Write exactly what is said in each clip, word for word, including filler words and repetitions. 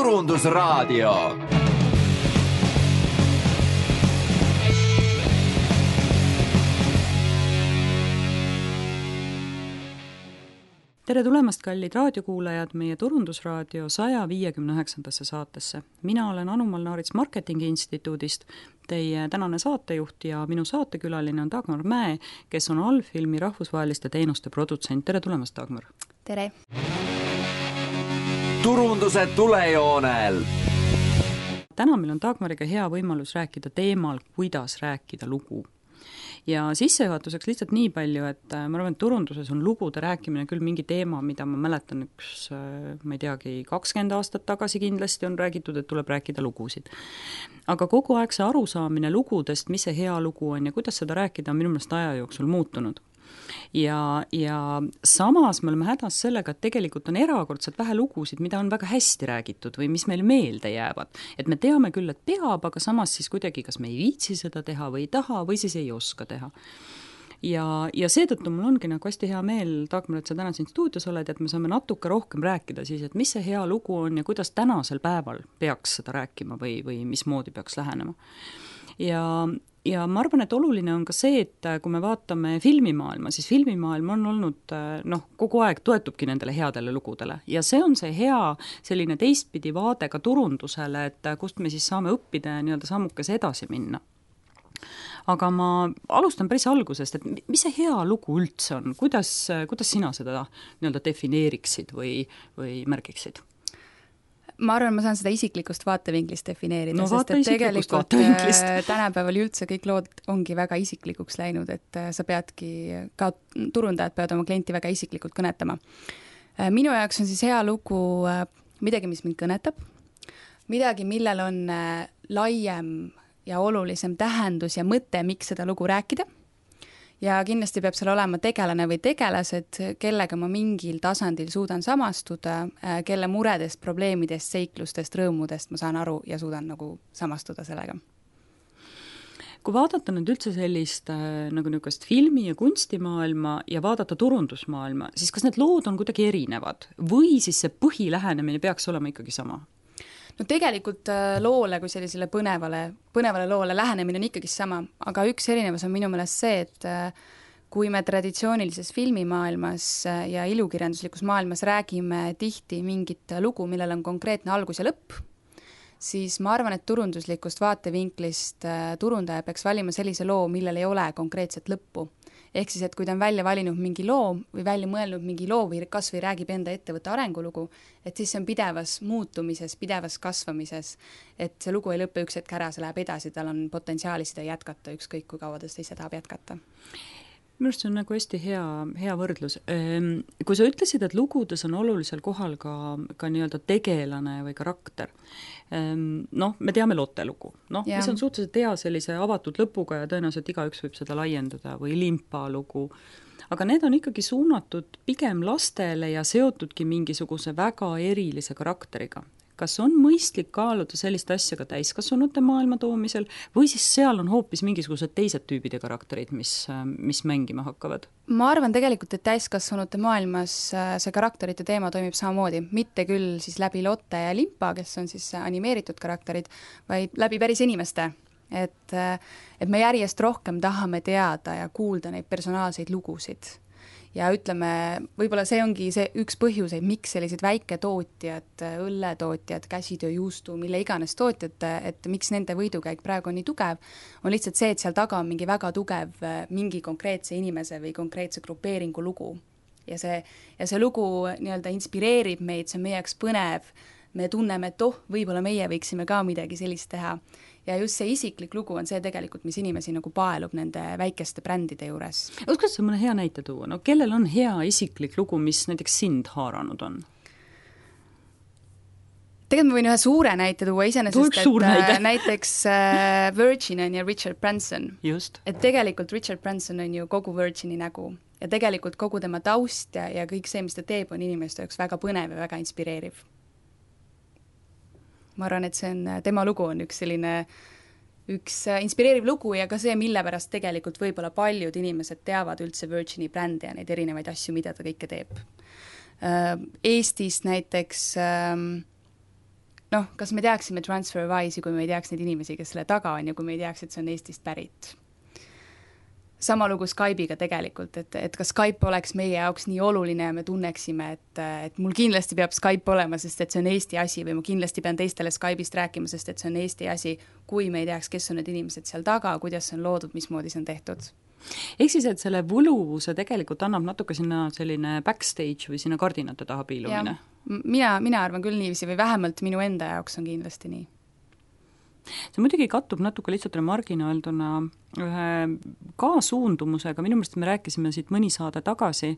Turundusraadio. Tere tulemast, kallid raadiokuulajad, meie Turundusraadio saja viiekümne üheksandasse saatesse. Mina olen Anu Molnaarits Marketingi Instituudist, teie tänane saatejuht ja minu saatekülaline on Dagmar Mäe, kes on Allfilmi rahvusvaheliste teenuste produtsent. Tere tulemast, Dagmar! Tere! Turunduse tulejoonel! Täna meil on Dagmariga hea võimalus rääkida teemal, kuidas rääkida lugu. Ja sissejuhatuseks lihtsalt nii palju, et ma arvan, et turunduses on lugude rääkimine küll mingi teema, mida ma mäletan üks, ma ei teagi, kakskümmend aastat tagasi kindlasti on räägitud, et tuleb rääkida lugusid. Aga kogu aeg see arusaamine lugudest, mis see hea lugu on ja kuidas seda rääkida, on minu meelest aja jooksul muutunud. Ja, ja samas me oleme hädas sellega, et tegelikult on erakordselt vähe lugusid, mida on väga hästi räägitud või mis meil meelde jäävad. Et me teame küll, et peab, aga samas siis kuidagi, kas me ei viitsi seda teha või ei taha või siis ei oska teha. Ja, ja seetõttu mul ongi nagu hästi hea meel, Dagmar, et sa täna siin stuudios oled, et me saame natuke rohkem rääkida siis, et mis see hea lugu on ja kuidas tänasel päeval peaks seda rääkima või, või mismoodi peaks lähenema. Ja Ja ma arvan, et oluline on ka see, et kui me vaatame filmimaailma, siis filmimaailm on olnud, noh, kogu aeg toetubki nendele headele lugudele. Ja see on see hea selline teistpidi vaade ka turundusele, et kust me siis saame õppida ja nii-öelda sammukes edasi minna. Aga ma alustan päris algusest, et mis see hea lugu üldse on? Kuidas, kuidas sina seda nii-öelda defineeriksid või, või märgiksid? Ma arvan, ma saan seda isiklikust vaatevinklist defineerida, no, sest et tegelikult tänapäeval üldse kõik lood ongi väga isiklikuks läinud, et sa peadki, ka turundajad peavad oma klienti väga isiklikult kõnetama. Minu jaoks on siis hea lugu midagi, mis mind kõnetab, midagi, millel on laiem ja olulisem tähendus ja mõte, miks seda lugu rääkida. Ja kindlasti peab seal olema tegelane või tegelased, kellega ma mingil tasandil suudan samastuda, kelle muredest, probleemidest, seiklustest, rõõmudest ma saan aru ja suudan nagu samastuda sellega. Kui vaadata nüüd üldse sellist nagu niisugust filmi- ja kunstimaailma ja vaadata turundusmaailma, siis kas need lood on kuidagi erinevad või siis see põhilähenemine peaks olema ikkagi sama? No tegelikult loole kui sellisele põnevale, põnevale loole lähenemine on ikkagi sama, aga üks erinevus on minu meelest see, et kui me traditsioonilises filmimaailmas ja ilukirjanduslikus maailmas räägime tihti mingit lugu, millel on konkreetne algus ja lõpp, siis ma arvan, et turunduslikust vaatevinklist turundaja peaks valima sellise loo, millel ei ole konkreetset lõppu. Ehk siis, et kui ta on välja valinud mingi loo või välja mõelnud mingi loo või kas või räägib enda ettevõtte arengulugu, et siis see on pidevas muutumises, pidevas kasvamises, et see lugu ei lõpe üks hetk ära, see läheb edasi, tal on potentsiaali seda jätkata, ükskõik kui kaua ta ise tahab jätkata. Minu arust see on nagu hästi hea, hea võrdlus. Kui sa ütlesid, et lugudes on olulisel kohal ka, ka nii-öelda tegelane või karakter, noh, me teame Lotte lugu, noh, mis on suhteliselt hea sellise avatud lõpuga ja tõenäoliselt igaüks võib seda laiendada või Limpa lugu, aga need on ikkagi suunatud pigem lastele ja seotudki mingisuguse väga erilise karakteriga. Kas on mõistlik kaaluda sellist asja ka täiskasvanute maailma toomisel või siis seal on hoopis mingisugused teised tüübid ja karakterid, mis, mis mängima hakkavad? Ma arvan tegelikult, et täiskasvanute maailmas see karakterite teema toimib samamoodi, mitte küll siis läbi Lotte ja Limpa, kes on siis animeeritud karakterid, vaid läbi päris inimeste. Et, et me järjest rohkem tahame teada ja kuulda neid personaalseid lugusid. Ja ütleme, võib-olla see ongi see üks põhjuseid, miks sellised väiketootjad, õlletootjad, käsitöö, juustu, mille iganes tootjad, et miks nende võidukäik praegu on nii tugev, on lihtsalt see, et seal taga on mingi väga tugev mingi konkreetse inimese või konkreetse grupeeringu lugu. Ja see, ja see lugu nii-öelda inspireerib meid, see on meie jaoks põnev, me tunneme, et oh, võib-olla meie võiksime ka midagi sellist teha. Ja just see isiklik lugu on see tegelikult, mis inimesi nagu paelub nende väikeste brändide juures. Oskad sa mõne hea näite tuua? No kellel on hea isiklik lugu, mis näiteks sind haaranud on? Tegelikult ma võin ühe suure näite tuua iseenesest, et näite. näiteks uh, Virgin on ja Richard Branson. Just. Et tegelikult Richard Branson on ju kogu Virgini nägu ja tegelikult kogu tema taust ja, ja kõik see, mis ta teeb, on inimeste jaoks väga põnev ja väga inspireeriv. Ma arvan, et see on, tema lugu on üks selline üks inspireeriv lugu ja ka see, mille pärast tegelikult võib-olla paljud inimesed teavad üldse Virgini brändi ja neid erinevaid asju, mida ta kõike teeb. Eestis näiteks noh, kas me teaksime TransferWise'i, kui me ei teaks neid inimesi, kes selle taga on ja kui me ei teaks, et see on Eestist pärit. Sama lugu Skype'iga tegelikult, et, et kas Skype oleks meie jaoks nii oluline ja me tunneksime, et, et mul kindlasti peab Skype olema, sest et see on Eesti asi või ma kindlasti pean teistele Skype'ist rääkima, sest et see on Eesti asi, kui me ei teaks, kes on need inimesed seal taga, kuidas see on loodud, mismoodi see on tehtud. Ehk siis, et selle võluvuse tegelikult annab natuke sinna selline backstage või sinna kardinate taha piilumine? Mina, mina arvan küll niiviisi või vähemalt minu enda jaoks on kindlasti nii. See muidugi kattub natuke lihtsalt remargina öelduna ühe kaasuundumusega, minu meelest me rääkisime siit mõni saade tagasi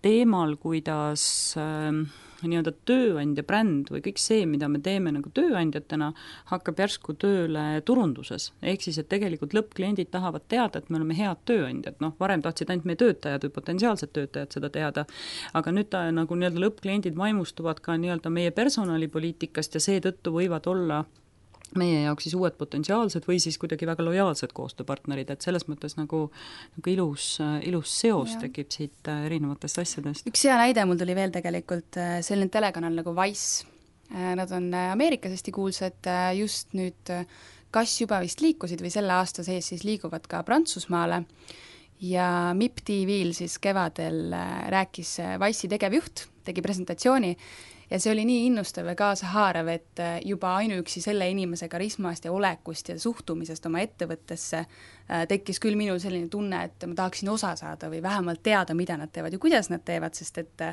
teemal, kuidas äh, nii-öelda tööandja bränd või kõik see, mida me teeme nagu tööandjatena, hakkab järsku tööle turunduses. Ehk siis, et tegelikult lõppkliendid tahavad teada, et me oleme head tööandjad. Noh, varem tahtsid ainult meie töötajad või potentsiaalsed töötajad seda teada, aga nüüd ta, nagu nii-öelda lõppkliendid vaimustuvad ka nii-öelda meie personalipoliitikast ja seetõttu võivad olla meie jaoks siis uued potentsiaalsed või siis kuidagi väga lojaalsed koostööpartnerid, et selles mõttes nagu, nagu ilus, ilus seos ja. Tekib siit erinevatest asjadest. Üks hea näide mul tuli veel tegelikult selline telekanal nagu Vice. Nad on Ameerikas hästi kuulsad, just nüüd kas juba vist liikusid või selle aasta sees siis liiguvad ka Prantsusmaale ja M I P T V-l siis kevadel rääkis Vice'i tegevjuht, tegi presentatsiooni ja see oli nii innustav ja kaasahaarav, et juba ainuüksi selle inimese karismast ja olekust ja suhtumisest oma ettevõttesse tekkis küll minul selline tunne, et ma tahaksin osa saada või vähemalt teada, mida nad teevad ja kuidas nad teevad, sest et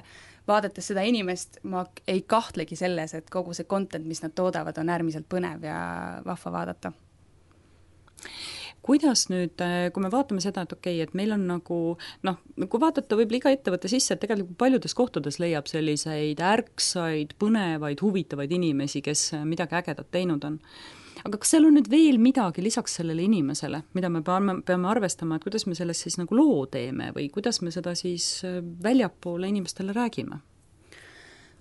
vaadates seda inimest, ma ei kahtlegi selles, et kogu see content, mis nad toodavad, on äärmiselt põnev ja vahva vaadata. Kuidas nüüd, kui me vaatame seda, et okei, okay, et meil on nagu, noh, kui vaadata võib-olla iga ettevõtte sisse, et tegelikult paljudes kohtades leiab selliseid ärksaid, põnevaid, huvitavaid inimesi, kes midagi ägedat teinud on. Aga kas seal on nüüd veel midagi lisaks sellele inimesele, mida me peame, peame arvestama, et kuidas me sellest siis nagu loo teeme või kuidas me seda siis väljapoole inimestele räägime?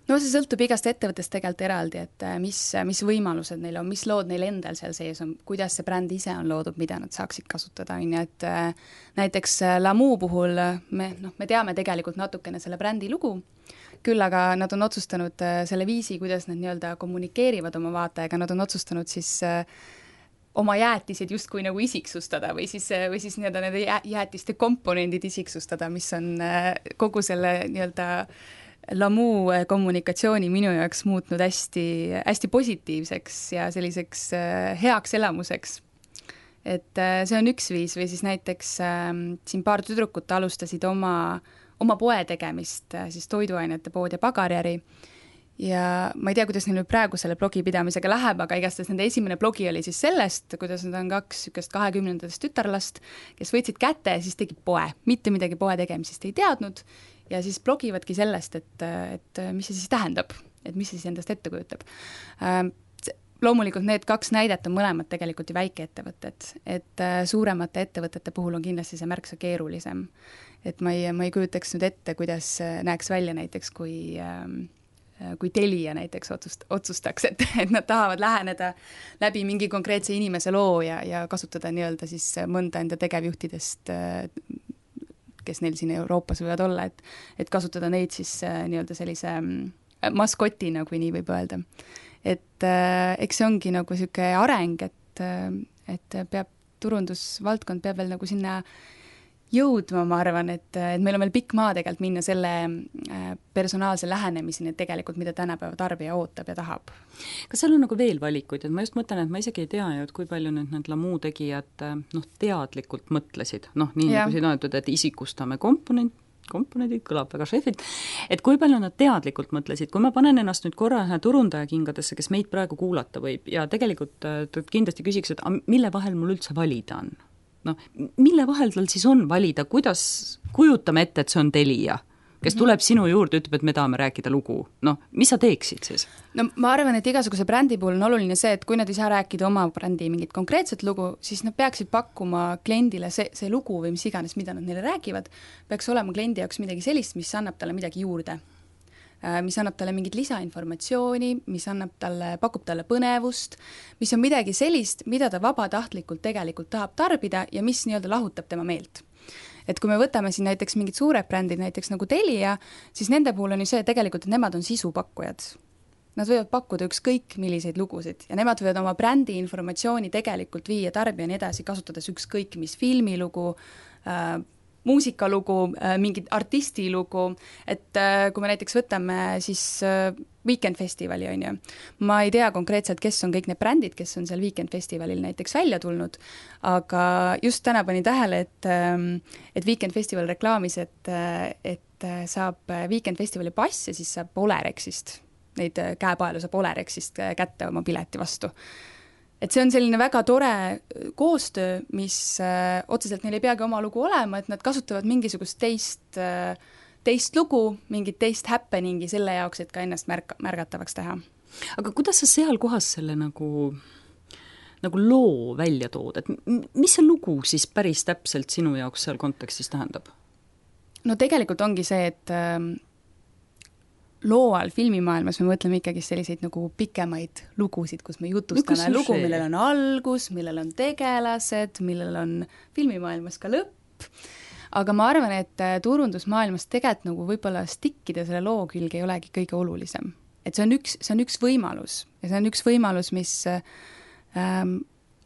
No see sõltub igast ettevõttest tegelikult eraldi, et mis, mis võimalused neil on, mis lood neil endal seal sees on, kuidas see bränd ise on loodud, mida nad saaksid kasutada, on ju, et näiteks Lamu puhul me, noh, me teame tegelikult natukene selle brändi lugu, küll aga nad on otsustanud selle viisi, kuidas nad nii-öelda kommunikeerivad oma vaatajaga, nad on otsustanud siis oma jäätised justkui nagu isiksustada või siis, või siis nii-öelda nende jäätiste komponendid isiksustada, mis on kogu selle nii-öelda Lamu kommunikatsiooni minu jaoks muutnud hästi, hästi positiivseks ja selliseks heaks elamuseks. Et see on üks viis või siis näiteks siin paar tüdrukut alustasid oma, oma poe tegemist, siis toiduainete pood ja pagarjäri ja ma ei tea, kuidas neil nüüd praegu selle blogi pidamisega läheb, aga igastahes nende esimene blogi oli siis sellest, kuidas nad on kaks sükest kahekümnendatest tütarlast, kes võtsid kätte ja siis tegid poe, mitte midagi poe tegemisest ei teadnud ja siis blogivadki sellest, et, et mis see siis tähendab, et mis see siis endast ette kujutab. Loomulikult need kaks näidet on mõlemad tegelikult ju väikeettevõtted, et suuremate ettevõtete puhul on kindlasti see märksa keerulisem. Et ma ei, ma ei kujutaks nüüd ette, kuidas näeks välja näiteks, kui, kui Telia näiteks otsust, otsustaks, et, et nad tahavad läheneda läbi mingi konkreetse inimese loo ja, ja kasutada nii-öelda siis mõnda enda tegevjuhtidest kes neil siin Euroopas võivad olla, et, et kasutada neid siis äh, nii-öelda sellise maskotina, kui nii võib öelda. Et äh, eks see ongi nagu selline areng, et, äh, et peab, turundusvaldkond peab veel nagu sinna jõudma, ma arvan, et, et meil on veel pikk maa tegelikult minna selle personaalse lähenemiseni, et tegelikult mida tänapäeva tarbija ootab ja tahab. Kas seal on nagu veel valikuid, et ma just mõtlen, et ma isegi ei tea ju, et kui palju nüüd need Lamu tegijad noh, teadlikult mõtlesid, noh, nii ja. Nagu siin öeldud, et isikustame komponent, komponendid, kõlab väga šefilt, et kui palju nad teadlikult mõtlesid, kui ma panen ennast nüüd korra ühe turundaja kingadesse, kes meid praegu kuulata võib ja tegelikult kindlasti küsiks, et mille vahel mul üldse valida on? No, mille vahel tal siis on valida, kuidas kujutame ette, et see on Telia, kes tuleb sinu juurde, ütleb, et me tahame rääkida lugu. No, mis sa teeksid siis? No ma arvan, et igasuguse brändi puhul on oluline see, et kui nad ei saa rääkida oma brändi mingit konkreetset lugu, siis nad peaksid pakkuma kliendile see, see lugu või mis iganes, mida nad neile räägivad, peaks olema kliendi jaoks midagi sellist, mis annab talle midagi juurde. Mis annab talle mingit lisainformatsiooni, mis annab talle, pakub talle põnevust, mis on midagi sellist, mida ta vabatahtlikult tegelikult tahab tarbida ja mis nii-öelda lahutab tema meelt. Et kui me võtame siin näiteks mingid suured brändid, näiteks nagu Telia, siis nende puhul on ju see tegelikult, et nemad on sisupakkujad. nad võivad pakkuda ükskõik milliseid lugusid ja nemad võivad oma brändi informatsiooni tegelikult viia tarbijani edasi, kasutades ükskõik mis filmilugu äh,, muusikalugu, mingit artistilugu, et kui me näiteks võtame siis Weekend Festivali, on ju, ma ei tea konkreetselt, kes on kõik need brändid, kes on seal Weekend Festivalil näiteks välja tulnud, aga just täna panin tähele, et, et Weekend Festival reklaamis, et, et saab Weekend Festivali pass ja siis saab Olerexist, neid käepaelu saab Olerexist kätte oma pileti vastu. Et see on selline väga tore koostöö, mis äh, otseselt neil ei peagi oma lugu olema, et nad kasutavad mingisugust teist, äh, teist lugu, mingit teist happeningi selle jaoks, et ka ennast märk- märgatavaks teha. Aga kuidas sa seal kohas selle nagu, nagu loo välja tood, et mis see lugu siis päris täpselt sinu jaoks seal kontekstis tähendab? No tegelikult ongi see, et äh, loo all filmimaailmas me mõtleme ikkagi selliseid nagu pikemaid lugusid, kus me jutustame no, lugu, millel on algus, millel on tegelased, millel on filmimaailmas ka lõpp, aga ma arvan, et turundusmaailmas tegelikult nagu võib-olla stikkida selle loo külge ei olegi kõige olulisem. Et see on üks, see on üks võimalus ja see on üks võimalus, mis ähm,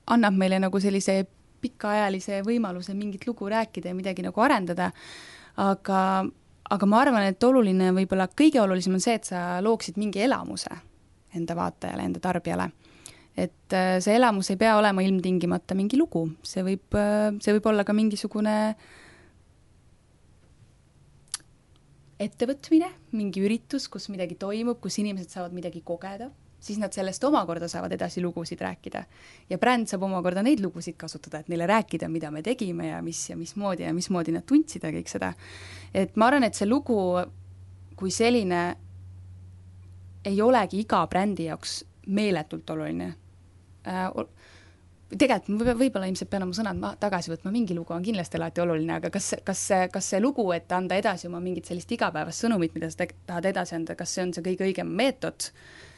annab meile nagu sellise pikaajalise võimaluse mingit lugu rääkida ja midagi nagu arendada, aga aga ma arvan, et oluline, võib-olla kõige olulisem on see, et sa looksid mingi elamuse enda vaatajale, enda tarbijale. Et see elamus ei pea olema ilmtingimata mingi lugu, see võib, see võib olla ka mingisugune ettevõtmine, mingi üritus, kus midagi toimub, kus inimesed saavad midagi kogeda, siis nad sellest omakorda saavad edasi lugusid rääkida. Ja bränd saab omakorda neid lugusid kasutada, et neile rääkida, mida me tegime ja mis ja mismoodi ja mismoodi nad tundsid ja kõik seda. Et ma arvan, et see lugu kui selline ei olegi iga brändi jaoks meeletult oluline. Tegelikult võib-olla ilmselt pean oma sõnad tagasi võtma, mingi lugu on kindlasti alati oluline, aga kas, kas, see, kas see lugu, et anda edasi oma mingit sellist igapäevast sõnumit, mida sa tahad edasi anda, kas see on see kõige õigem meetod,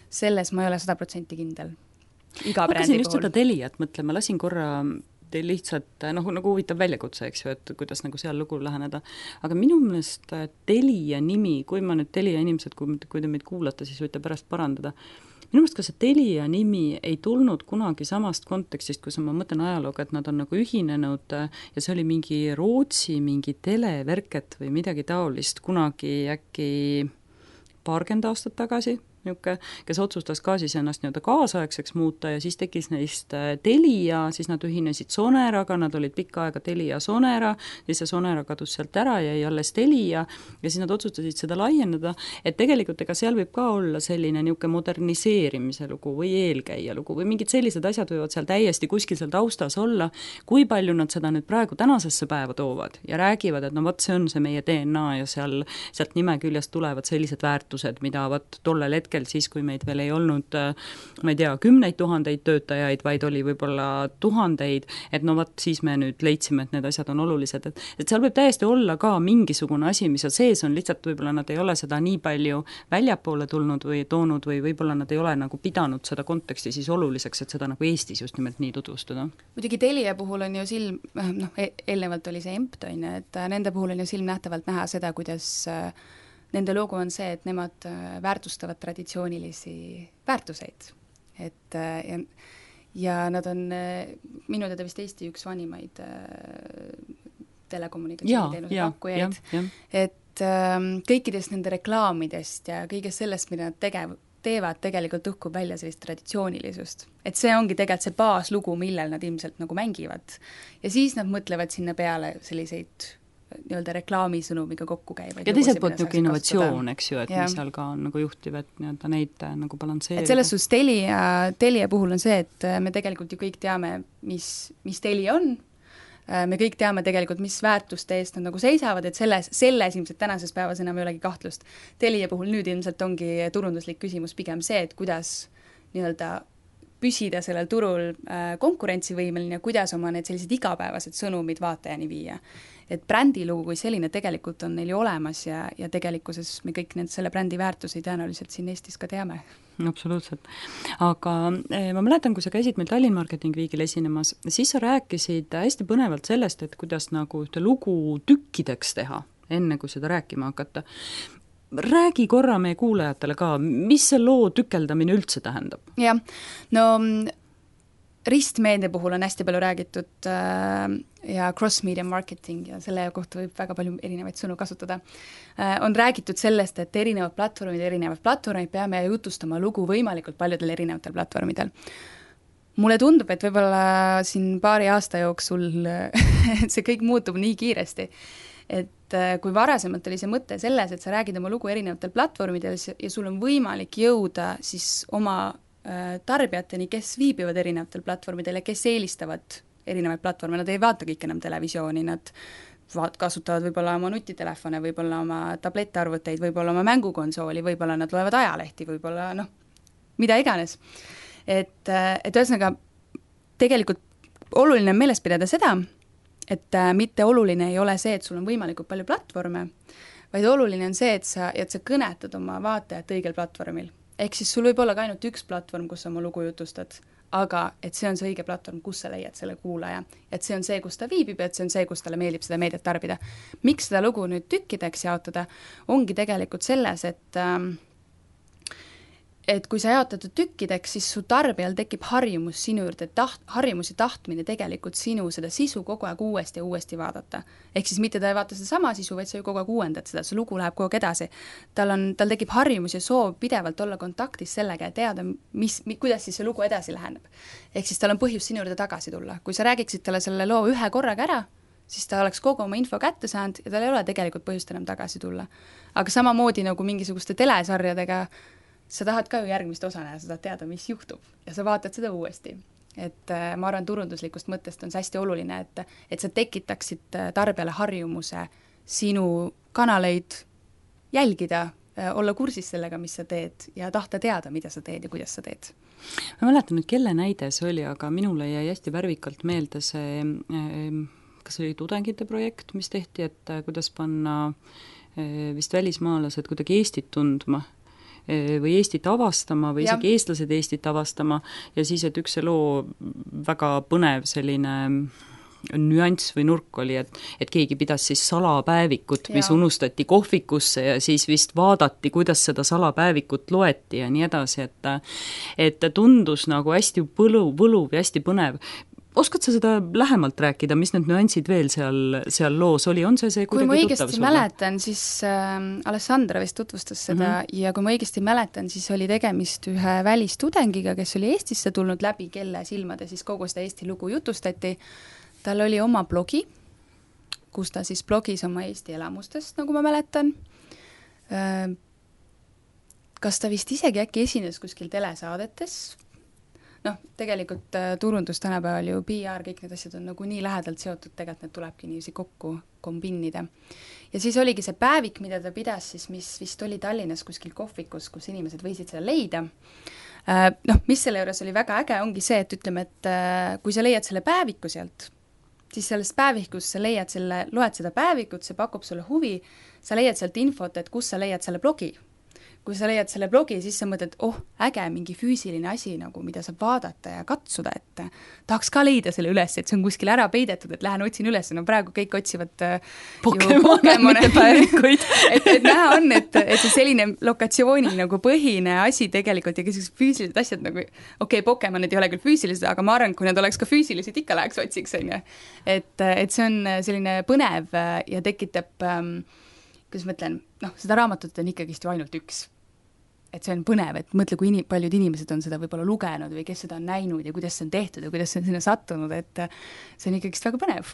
selles ma ei ole sada protsenti kindel. Iga hakkasin just puhul. Seda Teliat mõtlema, lasin korra teil lihtsalt, noh, nagu huvitav väljakutse, eks ju, et kuidas nagu seal lugu läheneda. Aga minu meelest Telia nimi, kui ma nüüd Telia inimesed, kui, kui te meid kuulate, siis võite pärast parandada. Minu meelest ka see Telia nimi ei tulnud kunagi samast kontekstist, kui ma mõtlen ajalooga, et nad on nagu ühinenud ja see oli mingi Rootsi, mingi televerket või midagi taolist kunagi äkki paarkümmend aastat tagasi, niuke, kes otsustas ka siis ennast nii-öelda kaasaegseks muuta ja siis tekkis neist Telia, siis nad ühinesid Soneraga, nad olid pikka aega Telia Sonera, siis see Sonera kadus sealt ära ja jäi alles Telia ja siis nad otsustasid seda laiendada, et tegelikult ega seal võib ka olla selline niuke moderniseerimise lugu või eelkäija lugu või mingid sellised asjad võivad seal täiesti kuskil seal taustas olla, kui palju nad seda nüüd praegu tänasesse päeva toovad ja räägivad, et no vot, see on see meie D N A ja seal, sealt nime küljest tulevad sellised väärtused, mida vot tollel hetkel siis, kui meid veel ei olnud, ma ei tea, kümneid tuhandeid töötajaid, vaid oli võib-olla tuhandeid, et no vot, siis me nüüd leidsime, et need asjad on olulised, et, et seal võib täiesti olla ka mingisugune asi, mis on sees on, lihtsalt võib-olla nad ei ole seda nii palju väljapoole tulnud või toonud või võib-olla nad ei ole nagu pidanud seda konteksti siis oluliseks, et seda nagu Eestis just nimelt nii tutvustada. Muidugi Telia puhul on ju silm, noh, eelnevalt oli see Empt, on ju, et nende puhul on ju silm nähtavalt näha seda, kuidas nende logo on see, et nemad väärtustavad traditsioonilisi väärtuseid. Et, ja, ja nad on minu teada vist Eesti üks vanimaid telekommunikatsiooniteenuse pakkujaid. Et kõikidest nende reklaamidest ja kõigest sellest, mida nad tegev, teevad, tegelikult õhkub välja sellist traditsioonilisust. Et see ongi tegelikult see baaslugu, millel nad ilmselt nagu mängivad. Ja siis nad mõtlevad sinna peale selliseid nii-öelda reklaamisõnumiga kokku käivaid. Ja teiselt poolt niuke innovatsioon, eks ju, et ja. Mis seal ka on nagu juhtiv, et nii-öelda neid nagu balansseerida. Et selles suhtes Telia, Telia puhul on see, et me tegelikult ju kõik teame, mis, mis Telia on, me kõik teame tegelikult, mis väärtuste eest nad nagu seisavad, et selles, selles ilmselt tänases päevas enam ei olegi kahtlust. Telia puhul nüüd ilmselt ongi turunduslik küsimus pigem see, et kuidas nii-öelda püsida sellel turul äh, konkurentsivõimeline ja kuidas oma need sellised igapäevased sõnumid vaatajani viia. Et brändilugu kui selline tegelikult on neil ju olemas ja, ja tegelikkuses me kõik need selle brändi väärtusi tõenäoliselt siin Eestis ka teame. Absoluutselt. Aga eh, ma mäletan, kui sa käisid meil Tallinn Marketing Weekil esinemas, siis sa rääkisid hästi põnevalt sellest, et kuidas nagu ühte lugu tükkideks teha, enne kui seda rääkima hakata. räägi korra meie kuulajatele ka, mis see loo tükeldamine üldse tähendab? jah, no ristmeedia puhul on hästi palju räägitud äh, ja cross-media marketing ja selle kohta võib väga palju erinevaid sõnu kasutada äh,. On räägitud sellest, et erinevad platvormid, erinevad platvormid peame jutustama lugu võimalikult paljudel erinevatel platvormidel. Mulle tundub, et võib-olla siin paari aasta jooksul see kõik muutub nii kiiresti, et kui varasemalt oli see mõte selles, et sa räägid oma lugu erinevatel platvormidel ja sul on võimalik jõuda siis oma tarbijateni, kes viibivad erinevatel platvormidel ja kes eelistavad erinevaid platvorme, nad ei vaata kõik enam televisiooni, nad vaat-, kasutavad võib-olla oma nutitelefone, võib-olla oma tablettarvuteid, võib-olla oma mängukonsooli, võib-olla nad loevad ajalehti, võib-olla noh, mida iganes. Et, et ühesõnaga, tegelikult oluline on meeles pidada seda, et mitte oluline ei ole see, et sul on võimalikult palju platvorme, vaid oluline on see, et sa, et sa kõnetad oma vaatajat õigel platvormil. Ehk siis sul võib olla ka ainult üks platvorm, kus sa oma lugu jutustad, aga et see on see õige platvorm, kus sa leiad selle kuulaja. Et see on see, kus ta viibib, et see on see, kus talle meeldib seda meediat tarbida. Miks seda lugu nüüd tükkideks jaotada, ongi tegelikult selles, et äh, et kui sa jaotad tükkideks, siis su tarbijal tekib harjumus sinu juurde, taht, harjumus ja tahtmine tegelikult sinu seda sisu kogu aeg uuesti ja uuesti vaadata. Ehk siis mitte ta ei vaata seda sama sisu, vaid sa ju kogu aeg uuendad seda, see lugu läheb kogu aeg edasi. Tal on, tal tekib harjumus ja soov pidevalt olla kontaktis sellega ja teada, mis, kuidas siis see lugu edasi läheneb. Ehk siis tal on põhjus sinu juurde tagasi tulla. Kui sa räägiksid talle selle loo ühe korraga ära, siis ta oleks kogu oma info kätte saanud ja tal ei ole tegelikult põhjust enam tagasi tulla. Aga samamoodi nagu mingisuguste telesarjadega sa tahad ka ju järgmist osa näha, sa tahad teada, mis juhtub ja sa vaatad seda uuesti. Et äh, ma arvan, turunduslikust mõttest on see hästi oluline, et, et sa tekitaksid tarbijale harjumuse sinu kanaleid jälgida, äh, olla kursis sellega, mis sa teed ja tahta teada, mida sa teed ja kuidas sa teed. Ma mäletan nüüd, kelle näide see oli, aga minule jäi hästi värvikalt meelde see, kas oli tudengite projekt, mis tehti, et kuidas panna vist välismaalased kuidagi Eestit tundma või Eestit avastama või isegi ja. Eestlased Eestit avastama ja siis, et üks see loo väga põnev selline nüanss või nurk oli, et, et keegi pidas siis salapäevikut, mis ja. Unustati kohvikusse ja siis vist vaadati, kuidas seda salapäevikut loeti ja nii edasi, et, et tundus nagu hästi põluv, võluv ja hästi põnev. Oskad sa seda lähemalt rääkida, mis need nüansid veel seal, seal loos oli, on see see kui ma õigesti mäletan, siis äh, Alessandra vist tutvustas seda mm-hmm. ja kui ma õigesti mäletan, siis oli tegemist ühe välistudengiga, kes oli Eestisse tulnud läbi, kelle silmade siis kogu seda Eesti lugu jutustati. Tal oli oma blogi, kus ta siis blogis oma Eesti elamustest, nagu ma mäletan. Äh, kas ta vist isegi äkki esines kuskil telesaadetes? Noh, tegelikult äh, turundus tänapäeval ju P R, kõik need asjad on nagu nii lähedalt seotud, tegelikult need tulebki niiviisi kokku kombinnida. Ja siis oligi see päevik, mida ta pidas siis, mis vist oli Tallinnas kuskil kohvikus, kus inimesed võisid seda leida. Äh, noh, mis selle juures oli väga äge, ongi see, et ütleme, et äh, kui sa leiad selle päeviku sealt, siis sellest päevikust sa leiad selle, loed seda päevikut, see pakub sulle huvi, sa leiad sealt infot, et kus sa leiad selle blogi. Kui sa leiad selle blogi, siis sa mõtled, oh, äge, mingi füüsiline asi, nagu, mida saab vaadata ja katsuda, et tahaks ka leida selle üles, et see on kuskil ära peidetud, et lähen otsin üles, no praegu kõik otsivad Pokemone päevikuid. et, et näha on, et, et see selline lokatsiooni nagu põhine asi tegelikult ja kes füüsilised asjad nagu, okei, okay, Pokemonid ei ole küll füüsilised, aga ma arvan, kui nad oleks ka füüsilised, ikka läheks otsiks, on ju. Et, et see on selline põnev ja tekitab ähm, kuidas ma ütlen, noh, seda raamatut on ikkagist ju ainult üks. Et see on põnev, et mõtle, kui inim- paljud inimesed on seda võib-olla lugenud või kes seda on näinud ja kuidas see on tehtud ja kuidas see on sinna sattunud, et see on ikkagist väga põnev.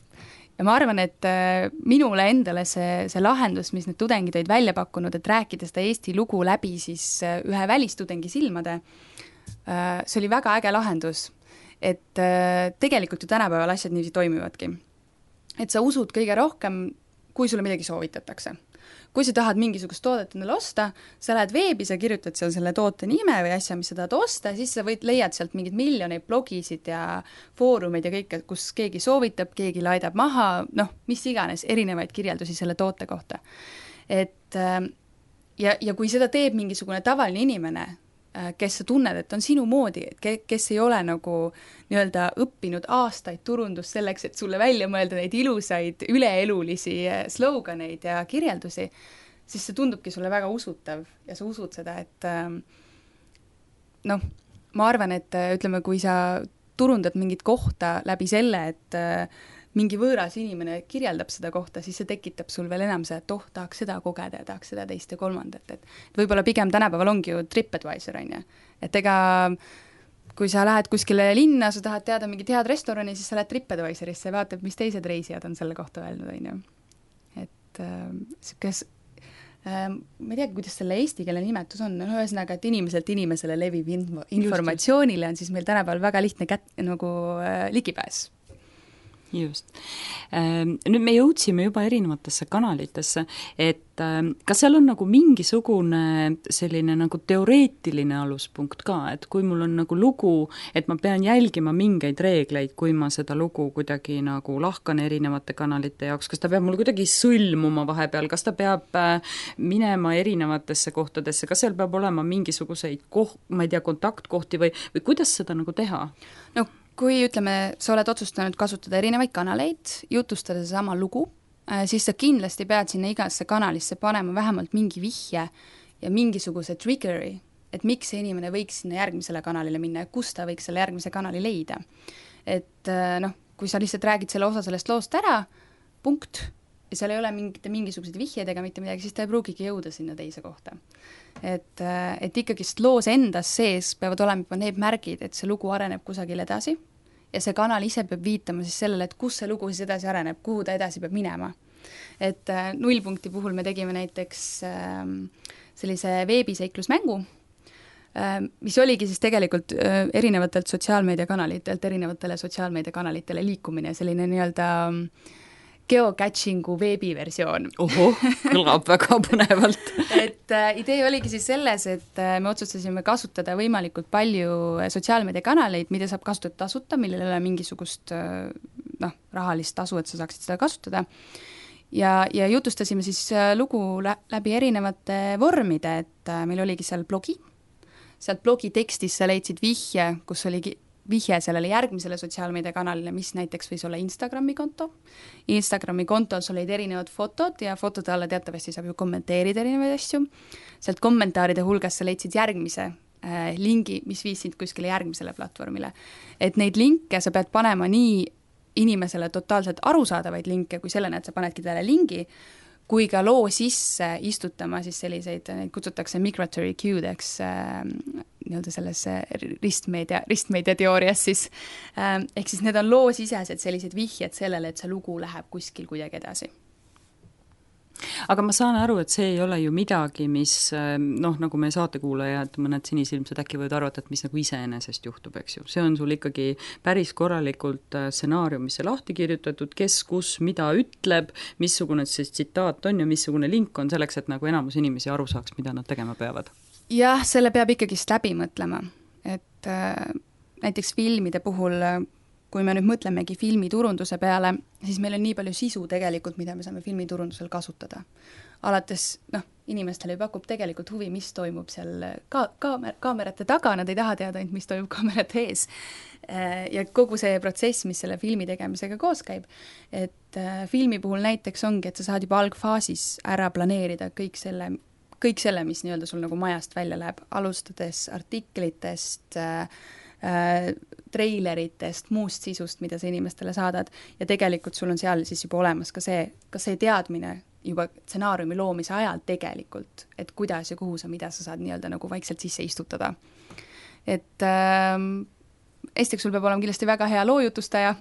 Ja ma arvan, et minule endale see, see lahendus, mis need tudengid olid välja pakkunud, et rääkida seda Eesti lugu läbi siis ühe välistudengi silmade, see oli väga äge lahendus, et tegelikult ju tänapäeval asjad niiviisi toimivadki. Et sa usud kõige rohkem, kui sulle midagi soovitatakse. Kui sa tahad mingisugust toodet endale osta, sa lähed veebi, sa kirjutad seal selle toote nime või asja, mis sa tahad osta, siis sa võid, leiad sealt mingid miljoneid blogisid ja foorumeid ja kõik, kus keegi soovitab, keegi laidab maha, noh, mis iganes, erinevaid kirjeldusi selle toote kohta. Et, ja, ja kui seda teeb mingisugune tavaline inimene, kes sa tunned, et on sinu moodi, et kes ei ole nagu nii-öelda õppinud aastaid turundust selleks, et sulle välja mõelda neid ilusaid üleelulisi sloganeid ja kirjeldusi, siis see tundubki sulle väga usutav ja sa usud seda, et noh, ma arvan, et ütleme, kui sa turundad mingit kohta läbi selle, et mingi võõras inimene kirjeldab seda kohta, siis see tekitab sul veel enam see, et oh, tahaks seda kogeda ja tahaks seda teist ja kolmandat, et võib-olla pigem tänapäeval ongi ju TripAdvisor, on ju. Et ega kui sa lähed kuskile linna, sa tahad teada mingit head restorani, siis sa lähed TripAdvisorisse ja vaatab, mis teised reisijad on selle kohta öelnud, on ju. Et äh, kes, äh, ma ei tea, kuidas selle eesti keele nimetus on, no ühesõnaga, et inimeselt inimesele leviv info, informatsioonile on siis meil tänapäeval väga lihtne kät, nagu äh, ligipääs. Just. Nüüd me jõudsime juba erinevatesse kanalitesse, et kas seal on nagu mingisugune selline nagu teoreetiline aluspunkt ka, et kui mul on nagu lugu, et ma pean jälgima mingeid reegleid, kui ma seda lugu kuidagi nagu lahkan erinevate kanalite jaoks, kas ta peab mul kuidagi sõlmuma vahepeal, kas ta peab minema erinevatesse kohtadesse, kas seal peab olema mingisuguseid koht, ma ei tea, kontaktkohti või, või kuidas seda nagu teha? No kui, ütleme, sa oled otsustanud kasutada erinevaid kanaleid, jutustada sama lugu, siis sa kindlasti pead sinna igasse kanalisse panema vähemalt mingi vihje ja mingisuguse triggeri, et miks see inimene võiks sinna järgmisele kanalile minna ja kus ta võiks selle järgmise kanali leida. Et noh, kui sa lihtsalt räägid selle osa sellest loost ära, punkt, ja seal ei ole mingite mingisuguseid vihjeid ega mitte midagi, siis ta ei pruugigi jõuda sinna teise kohta. Et, et ikkagist loos endas sees peavad olema juba need märgid, et see lugu areneb kusagil edasi ja see kanal ise peab viitama siis sellele, et kus see lugu siis edasi areneb, kuhu ta edasi peab minema. Et nullpunkti puhul me tegime näiteks sellise veebiseiklusmängu, mis oligi siis tegelikult erinevatelt sotsiaalmeediakanalitelt erinevatele sotsiaalmeediakanalitele liikumine, selline nii-öelda geocachingu veebiversioon. Oho, kõlab väga põnevalt. et äh, idee oligi siis selles, et äh, me otsustasime kasutada võimalikult palju sotsiaalmeediakanaleid, mida saab kasutada tasuta, millel ei ole mingisugust äh, noh, rahalist tasu, et sa saaksid seda kasutada. Ja, ja jutustasime siis äh, lugu lä- läbi erinevate vormide, et äh, meil oligi seal blogi, sealt blogi tekstis sa leidsid vihje, kus oligi vihje sellele järgmisele sotsiaalmeediakanalile, mis näiteks võis olla Instagrami konto. Instagrami kontol sul olid erinevad fotod ja fotode alla teatavasti saab ju kommenteerida erinevaid asju. Sealt kommentaaride hulgas sa leidsid järgmise äh, lingi, mis viisid kuskile järgmisele platvormile. Et neid linke sa pead panema nii inimesele totaalselt arusaadavaid linke, kui sellena, et sa panedki talle lingi, kui ka loo sisse istutama siis selliseid, neid kutsutakse migratory cue'deks äh, nii-öelda selles ristmeedia, ristmeedia teoorias siis, äh, ehk siis need on loo sisesed sellised vihjed sellele, et see lugu läheb kuskil kuidagi edasi. Aga ma saan aru, et see ei ole ju midagi, mis noh, nagu me saatekuulajad, mõned sinisilmsed äkki võivad arvata, et mis nagu iseenesest juhtub, eks ju. See on sul ikkagi päris korralikult stsenaariumisse lahti kirjutatud, kes, kus, mida ütleb, missugune see tsitaat on ja missugune link on selleks, et nagu enamus inimesi aru saaks, mida nad tegema peavad. Jah, selle peab ikkagist läbi mõtlema, et äh, näiteks filmide puhul kui me nüüd mõtlemegi filmiturunduse peale, siis meil on nii palju sisu tegelikult, mida me saame filmiturundusel kasutada. Alates, noh, inimestele pakub tegelikult huvi, mis toimub seal ka- kaamer- kaamerate taga, nad ei taha teada, mis toimub kaamerate ees. Ja kogu see protsess, mis selle filmi tegemisega koos käib, et filmi puhul näiteks ongi, et sa saad juba algfaasis ära planeerida kõik selle, kõik selle, mis nii-öelda sul nagu majast välja läheb, alustades artiklitest, treileritest, muust sisust, mida sa inimestele saadad ja tegelikult sul on seal siis juba olemas ka see, ka see teadmine juba stsenaariumi loomise ajal tegelikult, et kuidas ja kuhu sa, mida sa saad nii-öelda nagu vaikselt sisse istutada. Et ähm, esiteks sul peab olema kindlasti väga hea loojutustaja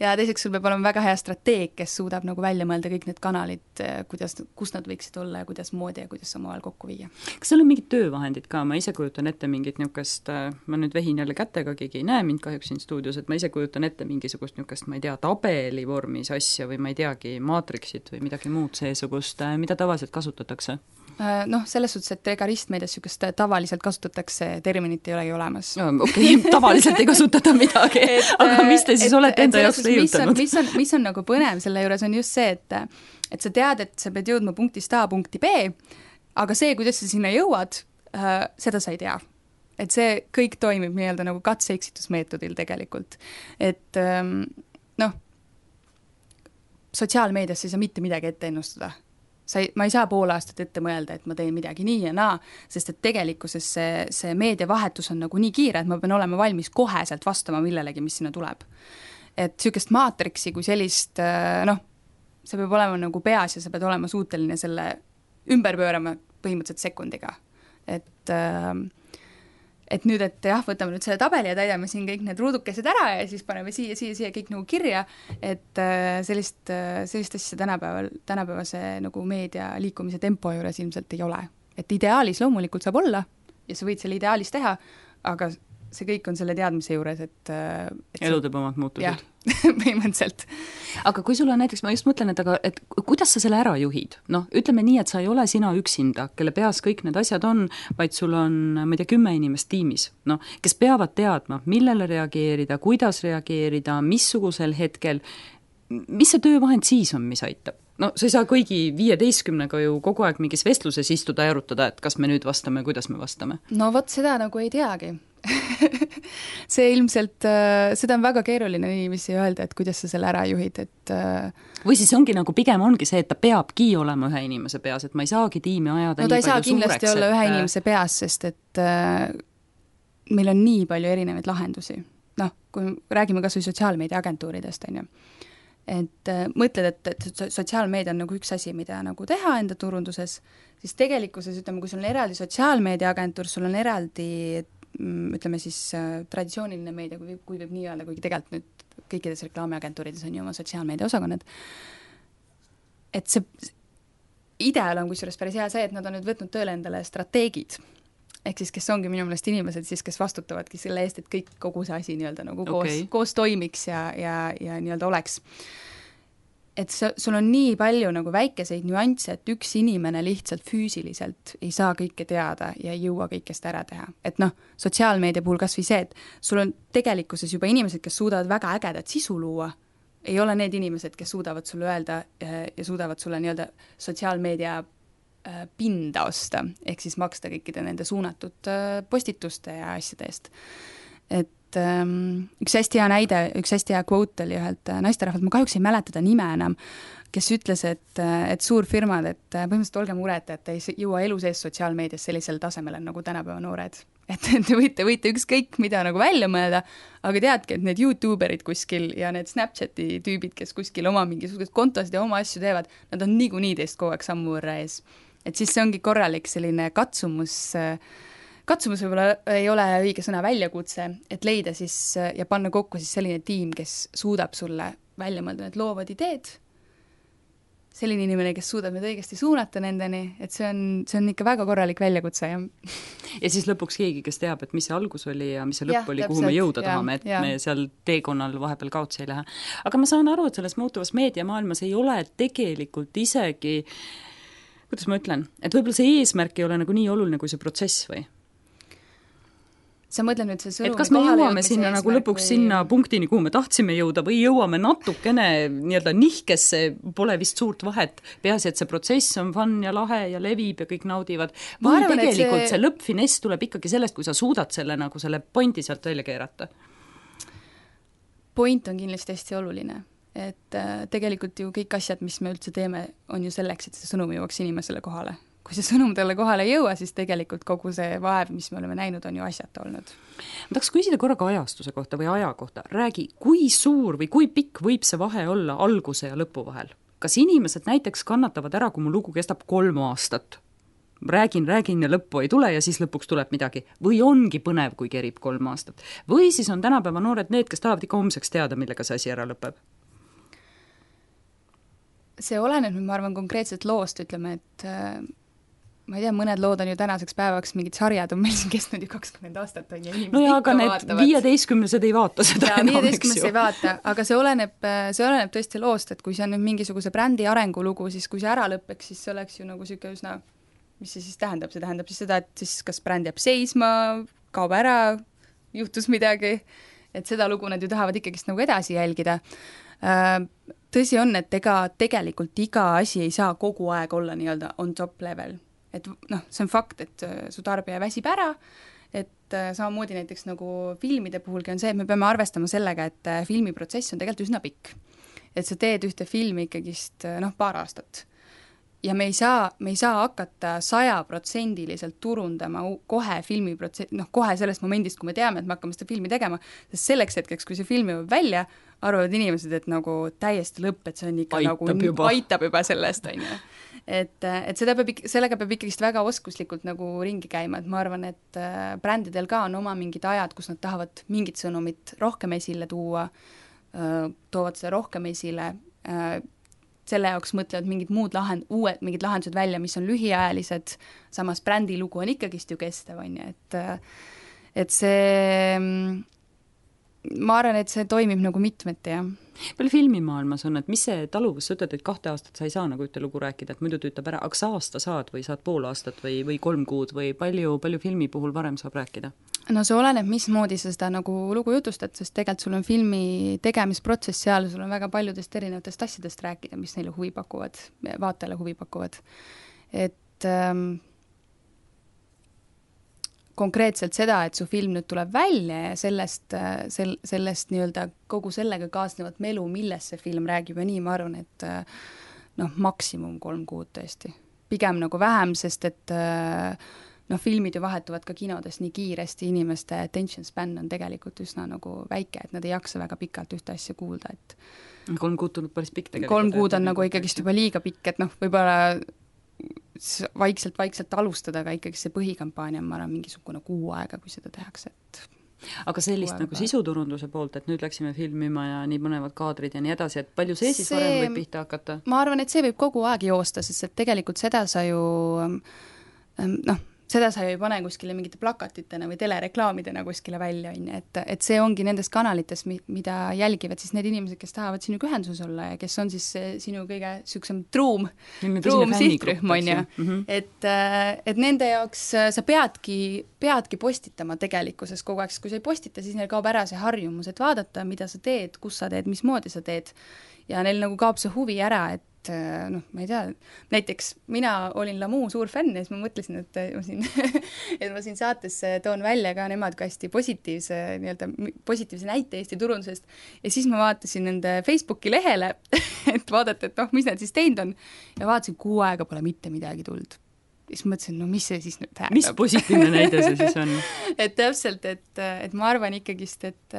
ja teiseks sul peab olema väga hea strateeg, kes suudab nagu välja mõelda kõik need kanalid, kuidas, kus nad võiksid olla ja kuidas moodi ja kuidas omavahel kokku viia. Kas seal on mingid töövahendid ka? Ma ise kujutan ette mingit niukest, ma nüüd vehin jälle kätega, keegi ei näe mind kahjuks siin stuudios, et ma ise kujutan ette mingisugust niukest, ma ei tea, tabeli vormis asja või ma ei teagi, maatriksit või midagi muud seesugust, mida tavaliselt kasutatakse? Noh, selles suhtes, et ega ristmeedias niisugust tavaliselt kasutatakse, terminit ei olegi olemas. No, okei, okay, tavaliselt ei kasutata midagi, et, aga mis te siis et, olete enda jaoks leiutanud? Mis on, mis on nagu põnev selle juures on just see, et, et sa tead, et sa pead jõudma punktist A punkti B, aga see, kuidas sa sinna jõuad, äh, seda sa ei tea. Et see kõik toimib nii-öelda nagu katse-eksitusmeetodil tegelikult. Et ähm, noh, sotsiaalmeedias ei saa mitte midagi ette ennustada. sa ei, ma ei saa pool aastat ette mõelda, et ma teen midagi nii ja naa, sest et tegelikkuses see, see meediavahetus on nagu nii kiire, et ma pean olema valmis koheselt vastama millelegi, mis sinna tuleb. Et niisugust maatriksi kui sellist, noh, see peab olema nagu peas ja sa pead olema suuteline selle ümber pöörama põhimõtteliselt sekundiga. Et äh, et nüüd, et jah, võtame nüüd selle tabeli ja täidame siin kõik need ruudukesed ära ja siis paneme siia, siia, siia kõik nagu kirja, et sellist, sellist asja tänapäeval, tänapäevase nagu meedia liikumise tempo juures ilmselt ei ole. Et ideaalis loomulikult saab olla ja sa võid selle ideaalis teha, aga see kõik on selle teadmise juures, et, et elu teeb omad muutused. jah, põhimõtteliselt. Aga kui sul on näiteks, ma just mõtlen, et aga et kuidas sa selle ära juhid? Noh, ütleme nii, et sa ei ole sina üksinda, kelle peas kõik need asjad on, vaid sul on, ma ei tea, kümme inimest tiimis, noh, kes peavad teadma, millele reageerida, kuidas reageerida, missugusel hetkel, mis see töövahend siis on, mis aitab? No sa ei saa kõigi viieteistkümnega ju kogu aeg mingis vestluses istuda ja arutada, et kas me nüüd vastame, kuidas me vastame. No vot seda nagu ei teagi. see ilmselt, seda on väga keeruline inimesi öelda, et kuidas sa selle ära juhid, et või siis ongi nagu pigem ongi see, et ta peabki olema ühe inimese peas, et ma ei saagi tiimi ajada no ta ei saa kindlasti suureks, olla et... ühe inimese peas, sest et äh, meil on nii palju erinevaid lahendusi. Noh, kui räägime kas või sotsiaalmeedia agentuuridest, on ju. Et äh, mõtled, et, et sotsiaalmeedia on nagu üks asi, mida nagu teha enda turunduses, siis tegelikkuses, ütleme, kui sul on eraldi sotsiaalmeedia agentuur, sul on eraldi ütleme siis äh, traditsiooniline meedia, kui, kui võib nii öelda, kuigi tegelikult nüüd kõikides reklaamiagentuurides on ju oma sotsiaalmeedia osakonnad, et see ideal on kusjuures päris hea see, et nad on nüüd võtnud tööle endale strateegid, ehk siis kes ongi minu meelest inimesed siis, kes vastutavadki selle eest, et kõik kogu see asi nii-öelda nagu okay. koos, koos toimiks ja, ja, ja nii-öelda oleks. Et see, sul on nii palju nagu väikeseid nüansse, et üks inimene lihtsalt füüsiliselt ei saa kõike teada ja ei jõua kõikest ära teha. Et noh, sotsiaalmeedia puhul kas või see, et sul on tegelikkuses juba inimesed, kes suudavad väga ägedat sisu luua, ei ole need inimesed, kes suudavad sulle öelda ja suudavad sulle nii-öelda sotsiaalmeedia pinda osta, ehk siis maksta kõikide nende suunatud postituste ja asjade eest. Et um, üks hästi hea näide, üks hästi hea quote oli ühelt naisterahvalt, ma kahjuks ei mäleta ta nime enam, kes ütles, et, et suurfirmad, et põhimõtteliselt olge mureta, et ei jõua elu sees sotsiaalmeedias sellisel tasemel nagu tänapäeva noored. Et te võite, võite ükskõik mida nagu välja mõelda, aga teadki, et need YouTuberid kuskil ja need Snapchati tüübid, kes kuskil oma mingisugused kontosid ja oma asju teevad, nad on niikuinii teist kogu aeg sammu võrra ees. Et siis see ongi korralik selline katsumus, katsumus võib-olla ei ole õige sõna väljakutse, et leida siis ja panna kokku siis selline tiim, kes suudab sulle välja mõelda need loovad ideed, selline inimene, kes suudab need õigesti suunata nendeni, et see on, see on ikka väga korralik väljakutse. Ja, ja siis lõpuks keegi, kes teab, et mis see algus oli ja mis see lõpp ja, oli, kuhu me jõuda ja, tahame, et ja. me seal teekonnal vahepeal kaotsi ei lähe. Aga ma saan aru, et selles muutuvas meediamaailmas ei ole tegelikult isegi, kuidas ma ütlen, et võib-olla see eesmärk ei ole nagu nii oluline kui see protsess või? Sa mõtled nüüd see sõnumi et kas me jõuame sinna nagu lõpuks või... sinna punktini, kuhu me tahtsime jõuda või jõuame natukene nii-öelda nihkesse, pole vist suurt vahet, peaasi, et see protsess on fun ja lahe ja levib ja kõik naudivad. Või arvan, tegelikult see... see lõppfiness tuleb ikkagi sellest, kui sa suudad selle, nagu selle pointi sealt välja keerata? Point on kindlasti hästi oluline, et äh, tegelikult ju kõik asjad, mis me üldse teeme, on ju selleks, et see sõnum jõuaks inimesele kohale. Kui see sõnum talle kohale ei jõua, siis tegelikult kogu see vaev, mis me oleme näinud, on ju asjata olnud. Ma tahaks küsida korraga ajastuse kohta või aja kohta. Räägi, kui suur või kui pikk võib see vahe olla alguse ja lõpu vahel? Kas inimesed näiteks kannatavad ära, kui mu lugu kestab kolm aastat? Räägin, räägin ja lõppu ei tule ja siis lõpuks tuleb midagi. Või ongi põnev, kui kerib kolm aastat? Või siis on tänapäeva noored need, kes tahavad ikka homseks teada, millega see asi ära lõpeb? See oleneb, ma arvan, konkreetselt loost, ütleme, et ma ei tea, mõned lood on ju tänaseks päevaks, mingid sarjad on meil siin kestnud ju kakskümmend aastat on ja inimesed no ja, ikka aga vaatavad. Need viieteistkümnesed ei vaata seda ja, enam, viieteistkümnesed ei vaata, aga see oleneb, see oleneb tõesti loost, et kui see on nüüd mingisuguse brändi arengulugu, siis kui see ära lõpeks, siis see oleks ju nagu siuke üsna, mis see siis tähendab, see tähendab siis seda, et siis kas bränd jääb seisma, kaob ära, juhtus midagi, et seda lugu nad ju tahavad ikkagist nagu edasi jälgida. Tõsi on, et ega tegelikult iga asi ei saa kogu aeg olla nii-öelda on top level. Et noh, see on fakt, et su tarbija väsib ära, et samamoodi näiteks nagu filmide puhulgi on see, et me peame arvestama sellega, et filmiprotsess on tegelikult üsna pikk. Et sa teed ühte filmi ikkagist noh, paar aastat. ja me ei saa, me ei saa hakata sajaprotsendiliselt turundama kohe filmiprotsent-, noh, kohe sellest momendist, kui me teame, et me hakkame seda filmi tegema, sest selleks hetkeks, kui see film jõuab välja, arvavad inimesed, et nagu täiesti lõpp, et see on ikka aitab nagu juba. aitab juba sellest, on ju. Et, et seda peab, sellega peab ikkagist väga oskuslikult nagu ringi käima, et ma arvan, et brändidel ka on oma mingid ajad, kus nad tahavad mingit sõnumit rohkem esile tuua, toovad seda rohkem esile, selle jaoks mõtlevad mingid muud lahend-, uued mingid lahendused välja, mis on lühiajalised, samas brändi lugu on ikkagist ju kestev, on ju, et et see, ma arvan, et see toimib nagu mitmeti, jah. Palju filmimaailmas on, et mis see taluvus, sa ütled, et kahte aastat sa ei saa nagu ühte lugu rääkida, et muidu tüütab ära, aga sa aasta saad või saad pool aastat või, või kolm kuud või palju, palju filmi puhul varem saab rääkida? No see oleneb, mismoodi sa seda nagu lugu jutustad, sest tegelikult sul on filmi tegemisprotsess seal, sul on väga paljudest erinevatest asjadest rääkida, mis neile huvi pakuvad, vaatajale huvi pakuvad. Et ähm, konkreetselt seda, et su film nüüd tuleb välja ja sellest, sel, sellest nii-öelda kogu sellega kaasnevat melu, millest see film räägib ja nii, ma arvan, et noh, maksimum kolm kuud tõesti. Pigem nagu vähem, sest et noh, filmid ju vahetuvad ka kinodes nii kiiresti, inimeste attention span on tegelikult üsna nagu väike, et nad ei jaksa väga pikalt ühte asja kuulda, et kolm kuud tuleb päris pikk tegelikult. Kolm kuud on nagu ikkagist juba liiga pikk, et noh, võib-olla vaikselt-vaikselt alustada, aga ikkagi see põhikampaania on, ma arvan, mingisugune kuu aega, kui seda tehakse, et aga sellist nagu sisuturunduse poolt, et nüüd läksime filmima ja nii mõnevad kaadrid ja nii edasi, et palju see siis see, varem võib pihta hakata? Ma arvan, et see võib kogu aeg joosta, sest et tegelikult seda sa ju noh, seda sa ju ei pane kuskile mingite plakatitena või telereklaamidena kuskile välja, et, et see ongi nendes kanalites, mida jälgivad siis need inimesed, kes tahavad sinuga ühenduses olla ja kes on siis sinu kõige süksem truum, truum sihtrühm, on ju. Et, et nende jaoks sa peadki, peadki postitama tegelikkuses kogu aeg, sest kui sa ei postita, siis neil kaob ära see harjumus, et vaadata, mida sa teed, kus sa teed, mismoodi sa teed ja neil nagu kaob see huvi ära, et noh, ma ei tea, näiteks mina olin Lamu suur fänn ja siis ma mõtlesin, et ma siin, et ma siin saates toon välja ka nemad kui hästi positiivse, nii-öelda positiivse näite Eesti turundusest ja siis ma vaatasin nende Facebooki lehele, et vaadata, et noh, mis nad siis teinud on ja vaatasin, kuu aega pole mitte midagi tulnud. Ja siis mõtlesin, no mis see siis nüüd tähendab? Mis positiivne näide see siis on? et täpselt, et, et ma arvan ikkagist, et,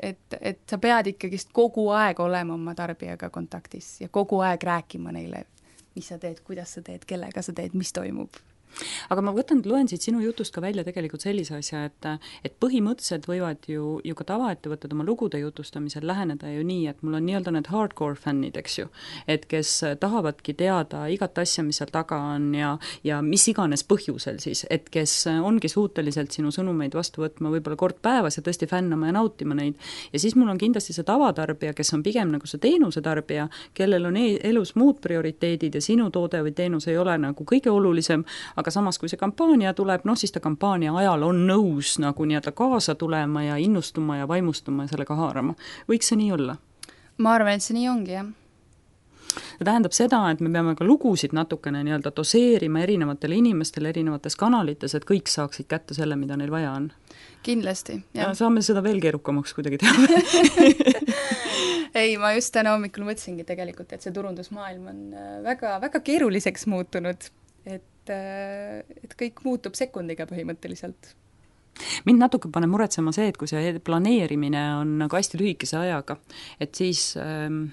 et, et sa pead ikkagist kogu aeg olema oma tarbijaga kontaktis ja kogu aeg rääkima neile, mis sa teed, kuidas sa teed, kellega sa teed, mis toimub. Aga ma võtan, loen siit sinu jutust ka välja tegelikult sellise asja, et, et põhimõtteliselt võivad ju, ju ka tavaettevõtted oma lugude jutustamisel läheneda ju nii, et mul on nii-öelda need hardcore fännid, eks ju, et kes tahavadki teada igat asja, mis seal taga on ja, ja mis iganes põhjusel siis, et kes ongi suuteliselt sinu sõnumeid vastu võtma võib-olla kord päevas ja tõesti fännama ja nautima neid. Ja siis mul on kindlasti see tavatarbija, kes on pigem nagu see teenusetarbija, kellel on elus muud prioriteedid ja sinu toode või teenus ei ole nagu kõige olulisem, aga samas, kui see kampaania tuleb, noh siis ta kampaania ajal on nõus nagu nii-öelda kaasa tulema ja innustuma ja vaimustuma ja sellega haarama. Võiks see nii olla? Ma arvan, et see nii ongi, jah. See tähendab seda, et me peame ka lugusid natukene nii-öelda doseerima erinevatele inimestele erinevates kanalites, et kõik saaksid kätte selle, mida neil vaja on. Kindlasti, jah. Ja saame seda veel keerukamaks kuidagi teha. ei, ma just täna hommikul mõtlesingi tegelikult, et see turundusmaailm on väga, väga keeruliseks muutunud, et et kõik muutub sekundiga põhimõtteliselt. Mind natuke paneb muretsema see, et kui see planeerimine on nagu hästi lühikese ajaga, et siis ähm,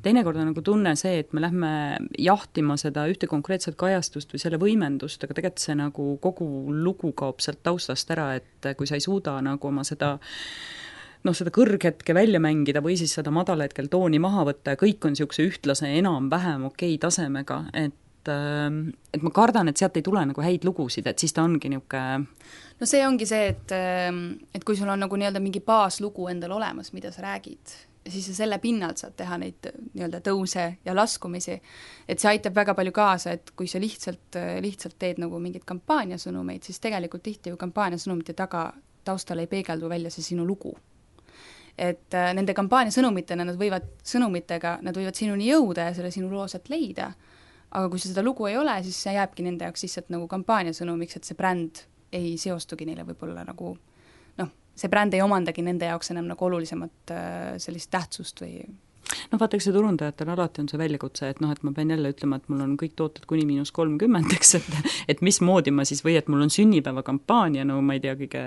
teinekord on nagu tunne see, et me lähme jahtima seda ühte konkreetset kajastust või selle võimendust, aga tegelikult see nagu kogu lugu kaob sealt taustast ära, et kui sa ei suuda nagu oma seda noh, seda kõrghetke välja mängida või siis seda madalhetkel tooni maha võtta ja kõik on niisuguse ühtlase enam-vähem okei tasemega, et et ma kardan, et sealt ei tule nagu häid lugusid, et siis ta ongi niisugune no see ongi see, et, et kui sul on nagu nii-öelda mingi baaslugu endal olemas, mida sa räägid, siis sa selle pinnalt saad teha neid nii-öelda tõuse ja laskumisi, et see aitab väga palju kaasa, et kui sa lihtsalt, lihtsalt teed nagu mingid kampaaniasõnumeid, siis tegelikult tihti ju kampaaniasõnumite taga taustal ei peegeldu välja see sinu lugu. Et nende kampaaniasõnumitena nad võivad, sõnumitega nad võivad sinuni jõuda ja selle sinu loo sealt leida, aga kui seda lugu ei ole, siis see jääbki nende jaoks lihtsalt nagu kampaaniasõnumiks, et see bränd ei seostugi neile võib-olla nagu noh, see bränd ei omandagi nende jaoks enam nagu olulisemat sellist tähtsust või no vaata, eks see turundajatel alati on see väljakutse, et noh, et ma pean jälle ütlema, et mul on kõik tooted kuni miinus kolmkümmend, eks, et et mismoodi ma siis, või et mul on sünnipäevakampaania, no ma ei tea, kõige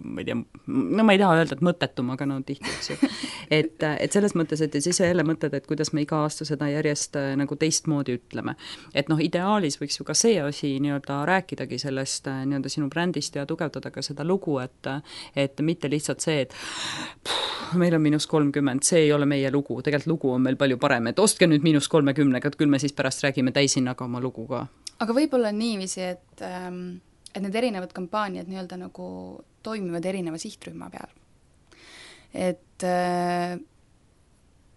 ma ei tea, no ma ei taha öelda, et mõttetum, aga no tihti, eks ju. Et, et selles mõttes, et siis jälle mõtled, et kuidas me iga aasta seda järjest nagu teistmoodi ütleme. Et noh, ideaalis võiks ju ka see asi nii-öelda rääkidagi sellest nii-öelda sinu brändist ja tugevdada ka seda lugu, et et mitte lihtsalt see, et pff, meil on miinus kolmkümmend, see ei ole meie lugu, tegelikult lugu on meil palju parem, et ostke nüüd miinus kolmekümnega, et küll me siis pärast räägime täishinnaga oma lugu ka. Aga võib-olla niiviisi, et, et need erinevad kampaaniad nii-öelda nagu toimivad erineva sihtrühma peal. Et äh,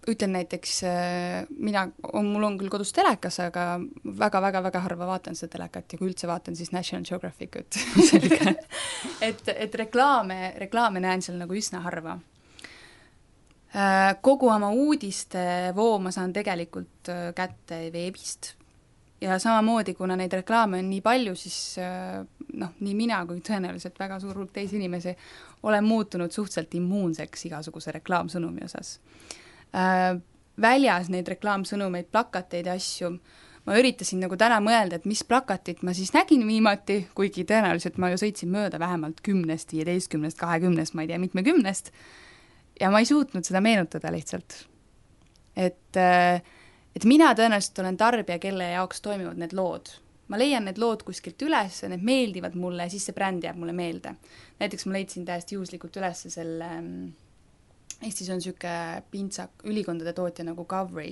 ütlen näiteks, äh, mina, on, mul on küll kodus telekas, aga väga-väga-väga harva vaatan seda telekat ja kui üldse vaatan, siis National Geographicut. et, et reklaame, reklaame näen seal nagu üsna harva. Kogu oma uudiste voo ma saan tegelikult kätte veebist ja samamoodi, kuna neid reklaame on nii palju, siis noh, nii mina kui tõenäoliselt väga suur hulk teisi inimesi olen muutunud suhteliselt immuunseks igasuguse reklaamsõnumi osas. Väljas neid reklaamsõnumeid, plakateid ja asju, ma üritasin nagu täna mõelda, et mis plakatit ma siis nägin viimati, kuigi tõenäoliselt ma ju sõitsin mööda vähemalt kümnest, viieteistkümnest, kahekümnest, ma ei tea, mitmekümnest, ja ma ei suutnud seda meenutada lihtsalt. Et, et mina tõenäoliselt olen tarbija, kelle jaoks toimivad need lood. Ma leian need lood kuskilt üles, need meeldivad mulle ja siis see bränd jääb mulle meelde. Näiteks ma leidsin täiesti juhuslikult üles selle, Eestis on süke pintsak, ülikondade tootja nagu Gowry.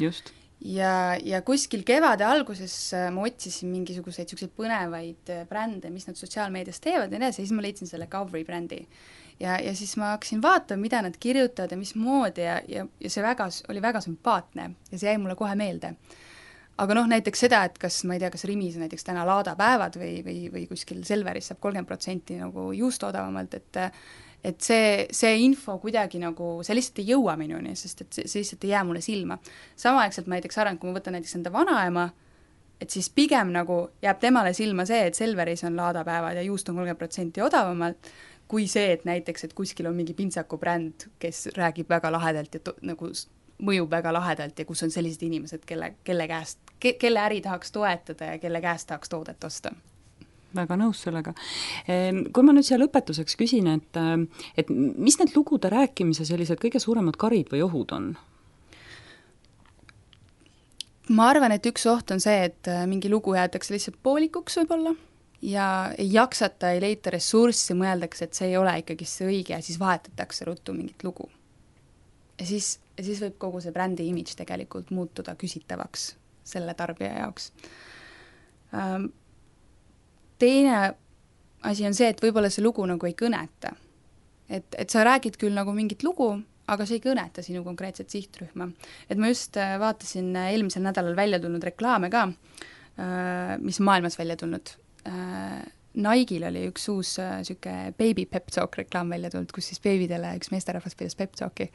Just. Ja, ja kuskil kevade alguses ma otsisin mingisuguseid selliseid põnevaid brände, mis nad sotsiaalmeedias teevad ja nii, siis ma leidsin selle Gowry brändi. Ja, ja siis ma hakkasin vaatama, mida nad kirjutavad ja mismoodi ja, ja, ja see väga, oli väga sümpaatne ja see jäi mulle kohe meelde. Aga noh, näiteks seda, et kas, ma ei tea, kas Rimis on näiteks täna laadapäevad või, või, või kuskil Selveris saab kolmkümmend protsenti nagu juust odavamalt, et et see, see info kuidagi nagu, see lihtsalt ei jõua minuni, sest et see, see lihtsalt ei jää mulle silma. Samaaegselt ma näiteks arvan, kui ma võtan näiteks enda vanaema, et siis pigem nagu jääb temale silma see, et Selveris on laadapäevad ja juust on kolmkümmend protsenti odavamalt, kui see, et näiteks, et kuskil on mingi pintsaku bränd, kes räägib väga lahedalt ja to, nagu mõjub väga lahedalt ja kus on sellised inimesed, kelle, kelle käest, ke, kelle äri tahaks toetada ja kelle käest tahaks toodet osta. Väga nõus sellega. Kui ma nüüd siia lõpetuseks küsin, et, et mis need lugude rääkimise sellised kõige suuremad karid või ohud on? Ma arvan, et üks oht on see, et mingi lugu jäetakse lihtsalt poolikuks võib-olla ja ei jaksata, ei leita ressurssi, mõeldakse, et see ei ole ikkagi see õige ja siis vahetatakse ruttu mingit lugu. Ja siis, ja siis võib kogu see brändi imidž tegelikult muutuda küsitavaks selle tarbija jaoks. Teine asi on see, et võib-olla see lugu nagu ei kõneta. Et, et sa räägid küll nagu mingit lugu, aga see ei kõneta sinu konkreetset sihtrühma. Et ma just vaatasin eelmisel nädalal välja tulnud reklaame ka, mis maailmas välja tulnud. Nike'il oli üks uus süke baby pep talk reklaam välja tulnud, kus siis beebidele üks meesterahvas pidas pep talki.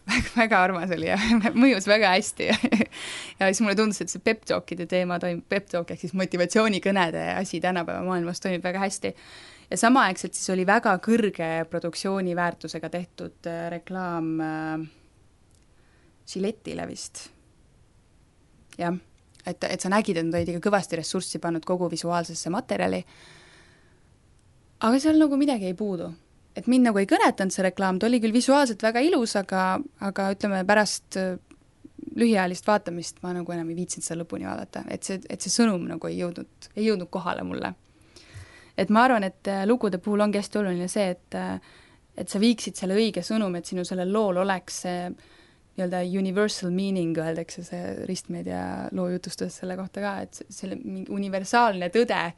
Väga, väga armas oli ja mõjus väga hästi ja, ja siis mulle tundus, et see pep talkide teema toimib, pep talk ehk siis motivatsioonikõnede asi tänapäeva maailmas toimib väga hästi ja samaaegselt siis oli väga kõrge produktsiooniväärtusega tehtud reklaam äh, Gillette'ile vist jah, et, et sa nägid, et nad olid ikka kõvasti ressurssi pannud kogu visuaalsesse materjali aga seal nagu midagi ei puudu. Et mind nagu ei kõnetanud see reklaam, ta oli küll visuaalselt väga ilus, aga, aga ütleme pärast lühiajalist vaatamist ma nagu enam ei viitsinud seda lõpuni vaadata, et see, et see sõnum nagu ei jõudnud, ei jõudnud kohale mulle. Et ma arvan, et lugude puhul ongi hästi oluline see, et, et sa viiksid selle õige sõnum, et sinu sellel lool oleks see nii-öelda universal meaning, öeldakse see ristmeedia loo jutustas selle kohta ka, et selle universaalne tõde,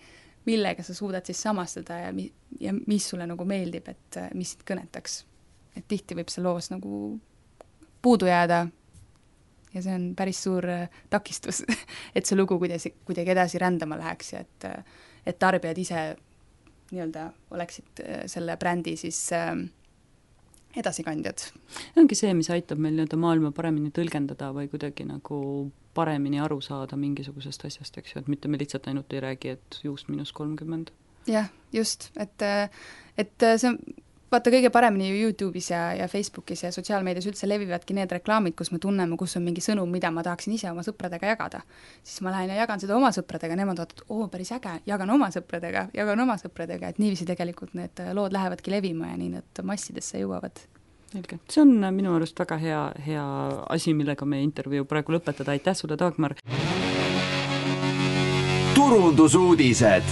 millega sa suudad siis samastada ja, mi- ja mis sulle nagu meeldib, et mis sind kõnetaks. Et tihti võib see loos nagu puudu jääda ja see on päris suur takistus, et see lugu kuidagi, kuidagi edasi rändama läheks ja et, et tarbijad ise nii-öelda oleksid selle brändi siis edasikandjad. Ongi see, mis aitab meil nii-öelda maailma paremini tõlgendada või kuidagi nagu paremini aru saada mingisugusest asjast, eks ju, et mitte me lihtsalt ainult ei räägi, et juust miinus kolmkümmend. Jah, just, et, et see vaata, kõige paremini ju YouTube'is ja, ja Facebookis ja sotsiaalmeedias üldse levivadki need reklaamid, kus me tunneme, kus on mingi sõnum, mida ma tahaksin ise oma sõpradega jagada. Siis ma lähen ja jagan seda oma sõpradega, nemad vaatavad, oo, päris äge, jagan oma sõpradega, jagan oma sõpradega, et niiviisi tegelikult need lood lähevadki levima ja nii need massidesse jõuavad. Selge. See on minu arust väga hea, hea asi, millega me intervjuu praegu lõpetada. Aitäh sulle, Dagmar! Turundusuudised!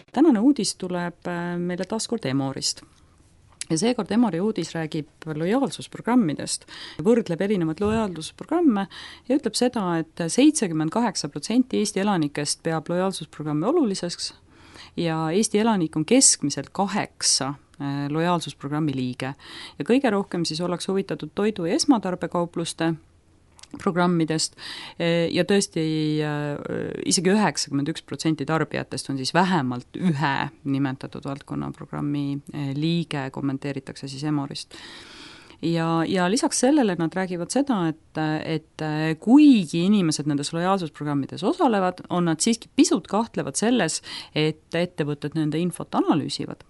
Tänane uudis tuleb meile taaskord Emorist. Ja seekord Emori uudis räägib lojaalsusprogrammidest, võrdleb erinevad lojaalsusprogramme ja ütleb seda, et seitsekümmend kaheksa protsenti Eesti elanikest peab lojaalsusprogrammi oluliseks ja Eesti elanik on keskmiselt kaheksa lojaalsusprogrammi liige. Ja kõige rohkem siis ollakse huvitatud toidu- ja esmatarbekaupluste programmidest ja tõesti isegi üheksakümmend üks protsenti tarbijatest on siis vähemalt ühe nimetatud valdkonna programmi liige, kommenteeritakse siis Emorist. Ja, ja lisaks sellele nad räägivad seda, et, et kuigi inimesed nendes lojaalsusprogrammides osalevad, on nad siiski pisut kahtlevad selles, et ettevõtted nende infot analüüsivad.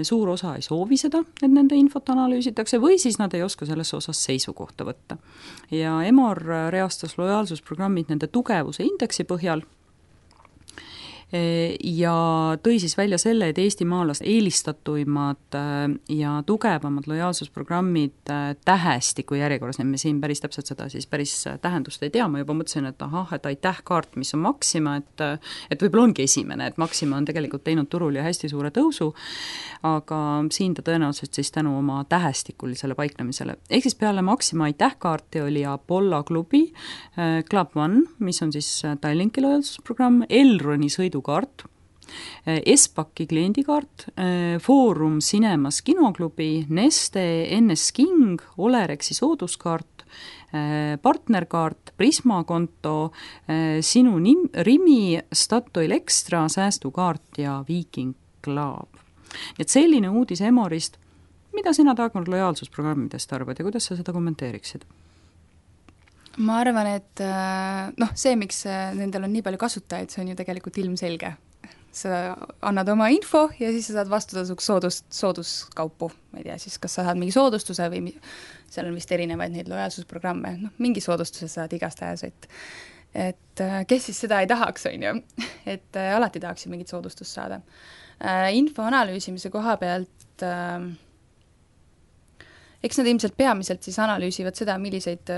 Suur osa ei soovi seda, et nende infot analüüsitakse või siis nad ei oska selles osas seisukohta võtta. Ja Emor reastas lojaalsusprogrammid nende tugevuse indeksi põhjal ja tõi siis välja selle, et eestimaalast eelistatuimad ja tugevamad lojaalsusprogrammid tähestiku järjekorras, me siin päris täpselt seda siis päris tähendust ei tea, ma juba mõtlesin, et ahah, et aitähkaart, mis on Maxima, et, et võib-olla ongi esimene, et Maxima on tegelikult teinud turul ja hästi suure tõusu, aga siin ta tõenäoliselt siis tänu oma tähestikulisele paiknemisele. Ehk siis peale Maxima aitähkaarti oli Apollo klubi, Club One, mis on siis Tallinki lojaalsusprogramm, Elroni sõidu kaart, Espaki kliendikaart, Foorum Cinemas kinoklubi, Neste, N S King, Olerexi sooduskaart, partnerkaart, Prisma konto, Sinu nim, Rimi, Statoil Extra, säästukaart ja Viking Club. Et selline uudis Emorist, mida sina Dagmar lojaalsusprogrammidest arvad ja kuidas sa seda kommenteeriksid? Ma arvan, et noh, see, miks nendel on nii palju kasutajaid, see on ju tegelikult ilmselge. Sa annad oma info ja siis sa saad vastutasuks soodus, sooduskaupu. Ma ei tea, siis kas sa saad mingi soodustuse või seal on vist erinevaid neid lojaalsusprogramme. Noh, mingi soodustuse saad igast ajas, et, et kes siis seda ei tahaks, on ju. Et alati tahaks mingit soodustust saada. Info analüüsimise koha pealt eks nad ilmselt peamiselt siis analüüsivad seda, milliseid,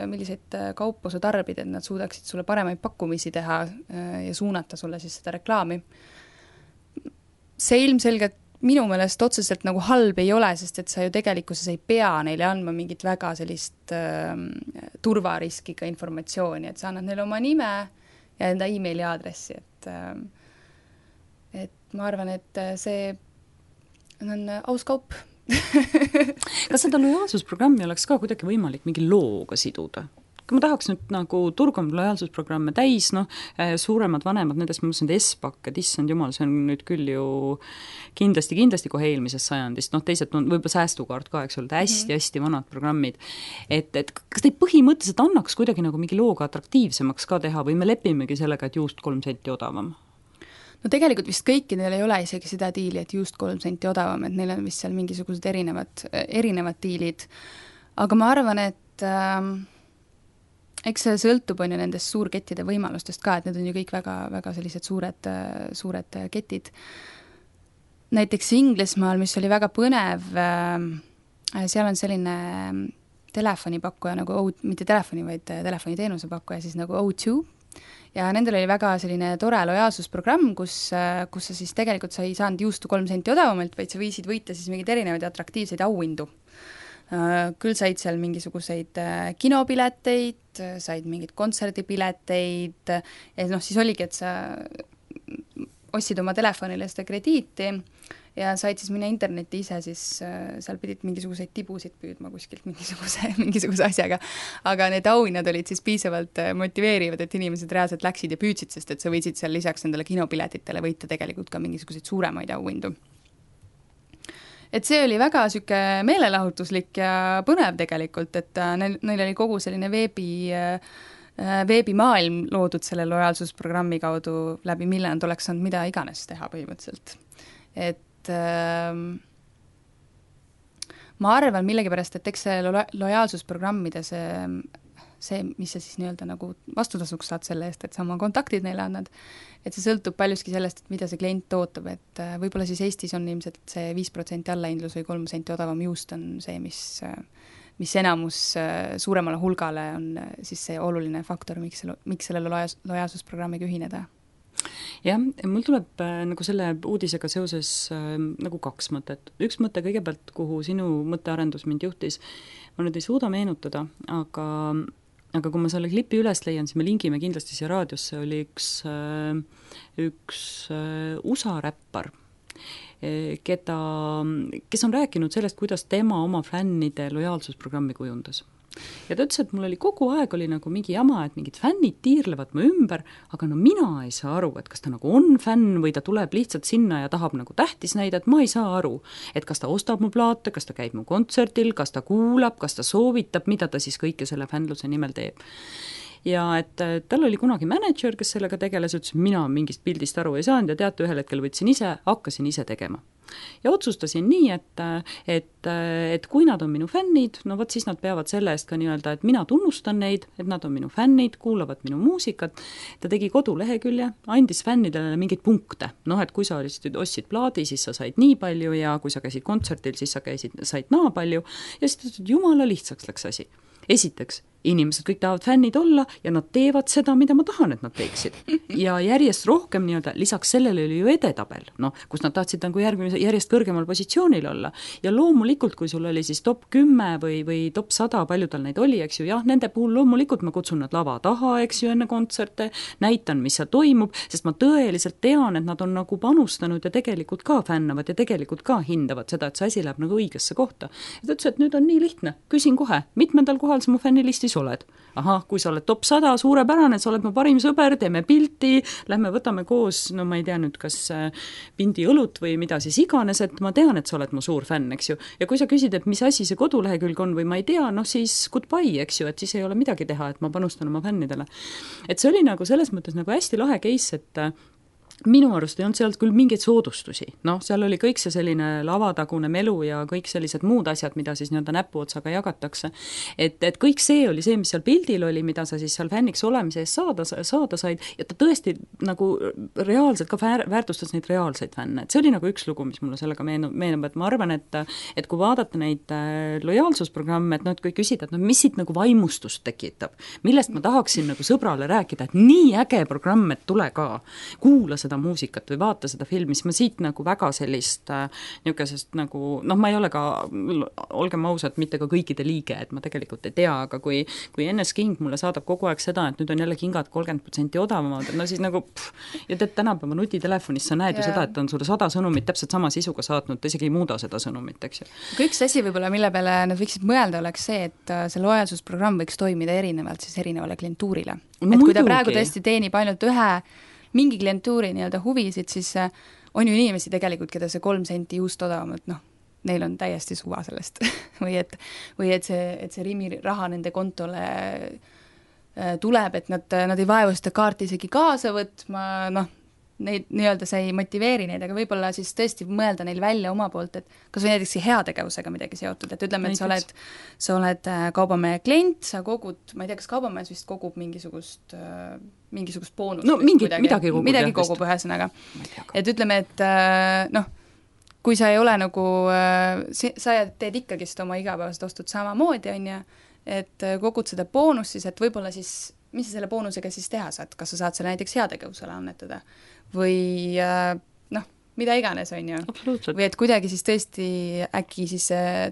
milliseid kaupu sa tarbid, et nad suudaksid sulle paremaid pakkumisi teha ja suunata sulle siis seda reklaami. See ilmselgelt minu meelest otseselt nagu halb ei ole, sest et sa ju tegelikkuses ei pea neile andma mingit väga sellist äh, turvariskiga informatsiooni, et sa annad neile oma nime ja enda e-maili aadressi, et, äh, et ma arvan, et see on aus kaup. Kas seda lojaalsusprogrammi oleks ka kuidagi võimalik mingi looga siduda? Kui ma tahaks nüüd nagu turgam lojaalsusprogramme täis, noh, suuremad vanemad, nendest ma mõtlesin, et Espak, et issand jumal, see on nüüd küll ju kindlasti, kindlasti kohe eelmisest sajandist, noh, teised on võib-olla säästukaart ka, eks olnud, hästi, hästi vanad programmid. Et, et kas teid põhimõtteliselt annaks kuidagi nagu mingi looga atraktiivsemaks ka teha või me lepimegi sellega, et juust kolm senti odavam? No tegelikult vist kõikidel ei ole isegi seda diili, et just kolm senti odavam, et neil on vist seal mingisugused erinevad, erinevad diilid. Aga ma arvan, et äh, eks see sõltub on ju nendest suurkettide võimalustest ka, et need on ju kõik väga, väga sellised suured, suured ketid. Näiteks Inglismaal, mis oli väga põnev, äh, seal on selline telefonipakkuja nagu, O, mitte telefoni, vaid telefoniteenuse pakkuja, siis nagu O two, ja nendel oli väga selline tore lojaalsusprogramm, kus, kus sa siis tegelikult sa ei saanud juustu kolm senti odavamalt, vaid sa võisid võita siis mingeid erinevaid atraktiivseid auhindu. Küll said seal mingisuguseid kinopileteid, said mingid kontserdipileteid, ja noh, siis oligi, et sa ostsid oma telefonile seda krediiti ja said siis minna internetti ise, siis seal pidid mingisuguseid tibusid püüdma kuskilt mingisuguse, mingisuguse asjaga. Aga need auhinnad olid siis piisavalt motiveerivad, et inimesed reaalselt läksid ja püüdsid, sest et sa võisid seal lisaks nendele kinopiletitele võita tegelikult ka mingisuguseid suuremaid auhindu. Et see oli väga süke meelelahutuslik ja põnev tegelikult, et neil, neil oli kogu selline veebi veebimaailm loodud selle lojaalsusprogrammi kaudu, läbi mille nad oleks saanud mida iganes teha põhimõtteliselt. Et ma arvan millegipärast, et eks see lo- lojaalsusprogrammide see, see, mis sa siis nii-öelda nagu vastutasuks saad selle eest, et sa oma kontaktid neile annad, et see sõltub paljuski sellest, et mida see klient ootab, et võib-olla siis Eestis on ilmselt see viis protsenti allahindlus või kolm senti odavam juust on see, mis mis enamus suuremale hulgale on siis see oluline faktor, miks, miks sellele loja, lojaalsusprogrammiga ühineda. Jah, mul tuleb äh, nagu selle uudisega seoses äh, nagu kaks mõtet. Üks mõte kõigepealt, kuhu sinu mõttearendus mind juhtis, ma nüüd ei suuda meenutada, aga, aga kui ma selle klipi üles leian, siis me lingime kindlasti siia raadiosse, oli üks, äh, üks äh, U S A räppar, keda, kes on rääkinud sellest, kuidas tema oma fännide lojaalsusprogrammi kujundas. Ja ta ütles, et mul oli kogu aeg oli nagu mingi jama, et mingid fännid tiirlevad mu ümber, aga no mina ei saa aru, et kas ta nagu on fänn või ta tuleb lihtsalt sinna ja tahab nagu tähtis näida, et ma ei saa aru, et kas ta ostab mu plaate, kas ta käib mu kontsertil, kas ta kuulab, kas ta soovitab, mida ta siis kõike selle fännluse nimel teeb. Ja et tal oli kunagi manager, kes sellega tegeles, ütles, mina mingist pildist aru ei saanud ja teate, ühel hetkel võtsin ise, hakkasin ise tegema. Ja otsustasin nii, et, et, et kui nad on minu fännid, no võt siis nad peavad selle eest ka nii-öelda, et mina tunnustan neid, et nad on minu fännid, kuulavad minu muusikat. Ta tegi kodulehekülje, andis fännidele mingeid punkte. Noh, et kui sa ostsid plaadi, siis sa said nii palju ja kui sa käisid kontsertil, siis sa käisid, said naa palju. Ja siis jumala lihtsaks läks asi. Esiteks, inimesed kõik tahavad fännid olla ja nad teevad seda, mida ma tahan, et nad teeksid. Ja järjest rohkem nii-öelda, lisaks sellele oli ju edetabel, noh, kus nad tahtsid nagu järgmise, järjest kõrgemal positsioonil olla. Ja loomulikult, kui sul oli siis top kümme või, või top sada, palju tal neid oli, eks ju, jah, nende puhul loomulikult ma kutsun nad lava taha, eks ju, enne kontserte, näitan, mis seal toimub, sest ma tõeliselt tean, et nad on nagu panustanud ja tegelikult ka fännavad ja tegelikult ka hindavad seda, et see asi läheb nagu õigesse kohta. Ja ta ütles, et nüüd on nii lihtne, küsin kohe, mitmendal kohal sa mu fännilistis oled. Ahah, kui sa oled top sada, suurepärane, sa oled mu parim sõber, teeme pilti, lähme võtame koos, no ma ei tea nüüd, kas pindi õlut või mida siis iganes, et ma tean, et sa oled mu suur fänn, eks ju. Ja kui sa küsid, et mis asi see kodulehekülg on või ma ei tea, noh siis goodbye, eks ju, et siis ei ole midagi teha, et ma panustan oma fännidele. Et see oli nagu selles mõttes nagu hästi lahe case, et minu arust ei olnud sealt küll mingeid soodustusi, noh, seal oli kõik see selline lavatagune melu ja kõik sellised muud asjad, mida siis nii-öelda näpuotsaga jagatakse, et, et kõik see oli see, mis seal pildil oli, mida sa siis seal fänniks olemise eest saada, saada said ja ta tõesti nagu reaalselt ka väärtustas neid reaalseid fänne, et see oli nagu üks lugu, mis mulle sellega meenub, meenub, et ma arvan, et, et kui vaadata neid lojaalsusprogramme, et noh, et kui küsida, et no mis siit nagu vaimustust tekitab, millest ma tahaksin nagu sõbrale rääkida, et nii äge programm, et tule ka, kuula seda muusikat või vaata seda filmi, siis ma siit nagu väga sellist äh, niisugusest nagu, noh, ma ei ole ka, olgem ausad, mitte ka kõikide liige, et ma tegelikult ei tea, aga kui, kui N S King mulle saadab kogu aeg seda, et nüüd on jälle kingad kolmkümmend protsenti odavamad, no siis nagu pff, ja teed tänapäeva nutitelefonis, sa näed yeah. ju seda, et on sulle sada sõnumit täpselt sama sisuga saatnud, ta isegi ei muuda seda sõnumit, eks ju. Aga üks asi võib-olla, mille peale nad võiksid mõelda, oleks see, et see lojaalsusprogramm võiks toimida erinevalt siis erinevale klientuurile. No, et kui ta praegu tõesti teenib ainult ühe mingi klientuuri nii-öelda huvisid, siis on ju inimesi tegelikult, keda see kolm senti juust odavam, et noh, neil on täiesti suva sellest või et, või et see, et see Rimi raha nende kontole tuleb, et nad, nad ei vaevu seda kaarti isegi kaasa võtma, noh, neid nii-öelda see ei motiveeri neid, aga võib-olla siis tõesti mõelda neil välja oma poolt, et kas või näiteks heategevusega midagi seotud, et ütleme, et sa oled, sa oled kaubamehe klient, sa kogud, ma ei tea, kas kaubamehes vist kogub mingisugust, mingisugust boonust. No mingit, midagi, midagi kogub. Midagi kogub ühesõnaga. Et ütleme, et noh, kui sa ei ole nagu, sa teed ikkagist oma igapäevased ostud samamoodi, on ju, et kogud seda boonust siis, et võib-olla siis, mis sa selle boonusega siis teha saad, kas sa saad selle näiteks heategevusele annetada või noh, mida iganes, on ju. Või et kuidagi siis tõesti äkki siis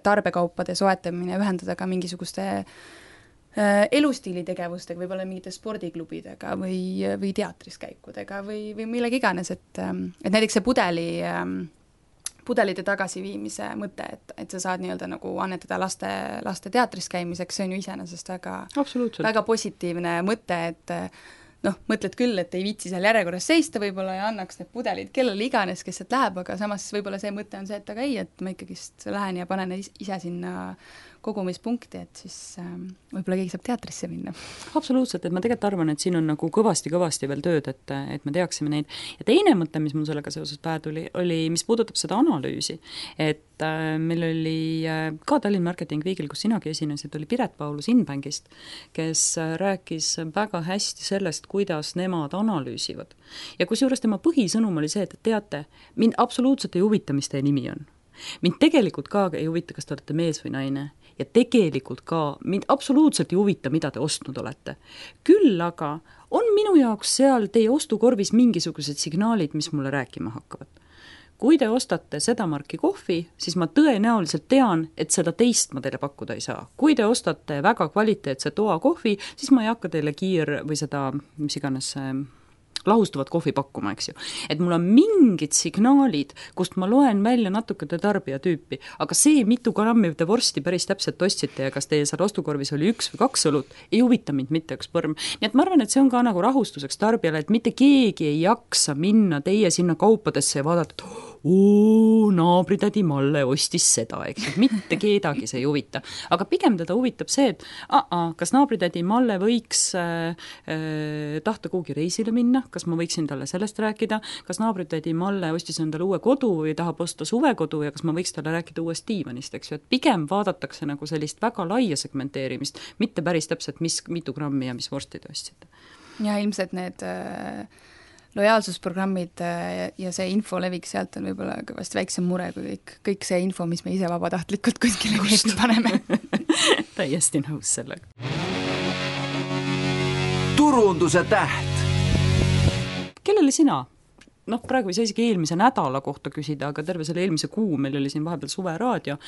tarbekaupade soetamine ühendada ka mingisuguste elustiilitegevustega, võib-olla mingite spordiklubidega või, või teatris käikudega või, või millegi iganes, et, et näiteks see pudeli, pudelite tagasiviimise mõte, et, et sa saad nii-öelda nagu annetada laste, laste teatris käimiseks, see on ju iseenesest väga, väga positiivne mõte, et noh, mõtled küll, et ei viitsi seal järjekorras seista võib-olla ja annaks need pudelid kellele iganes, kes sealt läheb, aga samas võib-olla see mõte on see, et aga ei, et ma ikkagist lähen ja panen ise sinna kogumispunkti, et siis äh, võib-olla keegi saab teatrisse minna. Absoluutselt, et ma tegelikult arvan, et siin on nagu kõvasti-kõvasti veel tööd, et, et me teaksime neid. Ja teine mõte, mis mul sellega seoses pähe tuli, oli, mis puudutab seda analüüsi, et et meil oli ka Tallinn Marketing Weekil, kus sinagi esinesid, oli Piret Paulus Inbankist, kes rääkis väga hästi sellest, kuidas nemad analüüsivad. Ja kusjuures tema põhisõnum oli see, et teate, mind absoluutselt ei huvita, mis teie nimi on. Mind tegelikult ka ei huvita, kas te olete mees või naine. Ja tegelikult ka mind absoluutselt ei huvita, mida te ostnud olete. Küll aga on minu jaoks seal teie ostukorvis mingisugused signaalid, mis mulle rääkima hakkavad. Kui te ostate seda marki kohvi, siis ma tõenäoliselt tean, et seda teist ma teile pakkuda ei saa. Kui te ostate väga kvaliteetse toa kohvi, siis ma ei hakka teile kiir või seda, mis iganes lahustuvat kohvi pakkuma, eks ju. Et mul on mingid signaalid, kust ma loen välja natuke te tarbija tüüpi, aga see, mitu grammi te vorsti päris täpselt ostsite ja kas teie seal ostukorvis oli üks või kaks õlut, ei huvita mind mitte üks põrm. Nii et ma arvan, et see on ka nagu rahustuseks tarbijale, et mitte keegi ei jaksa minna teie sinna kaupadesse ja vaadata, et oo, naabritädi Malle ostis seda, eks, et mitte kedagi see ei huvita. Aga pigem teda huvitab see, et aa, kas naabritädi Malle võiks äh, äh, tahta kuhugi reisile minna, kas ma võiksin talle sellest rääkida, kas naabritädi Malle ostis endale uue kodu või tahab osta suvekodu ja kas ma võiks talle rääkida uuest diivanist, eks ju, et pigem vaadatakse nagu sellist väga laia segmenteerimist, mitte päris täpselt, mis, mitu grammi ja mis vorsti te ostsite. Ja ilmselt need äh... lojaalsusprogrammid ja see info levik sealt on võib-olla vast väiksem mure kui kõik, kõik see info, mis me ise vabatahtlikult kuskile veebi paneme. Täiesti nõus sellega. Turunduse täht. Kellele sina? Noh, praegu ei saa isegi eelmise nädala kohta küsida, aga terve selle eelmise kuu, meil oli siin vahepeal suveraadio,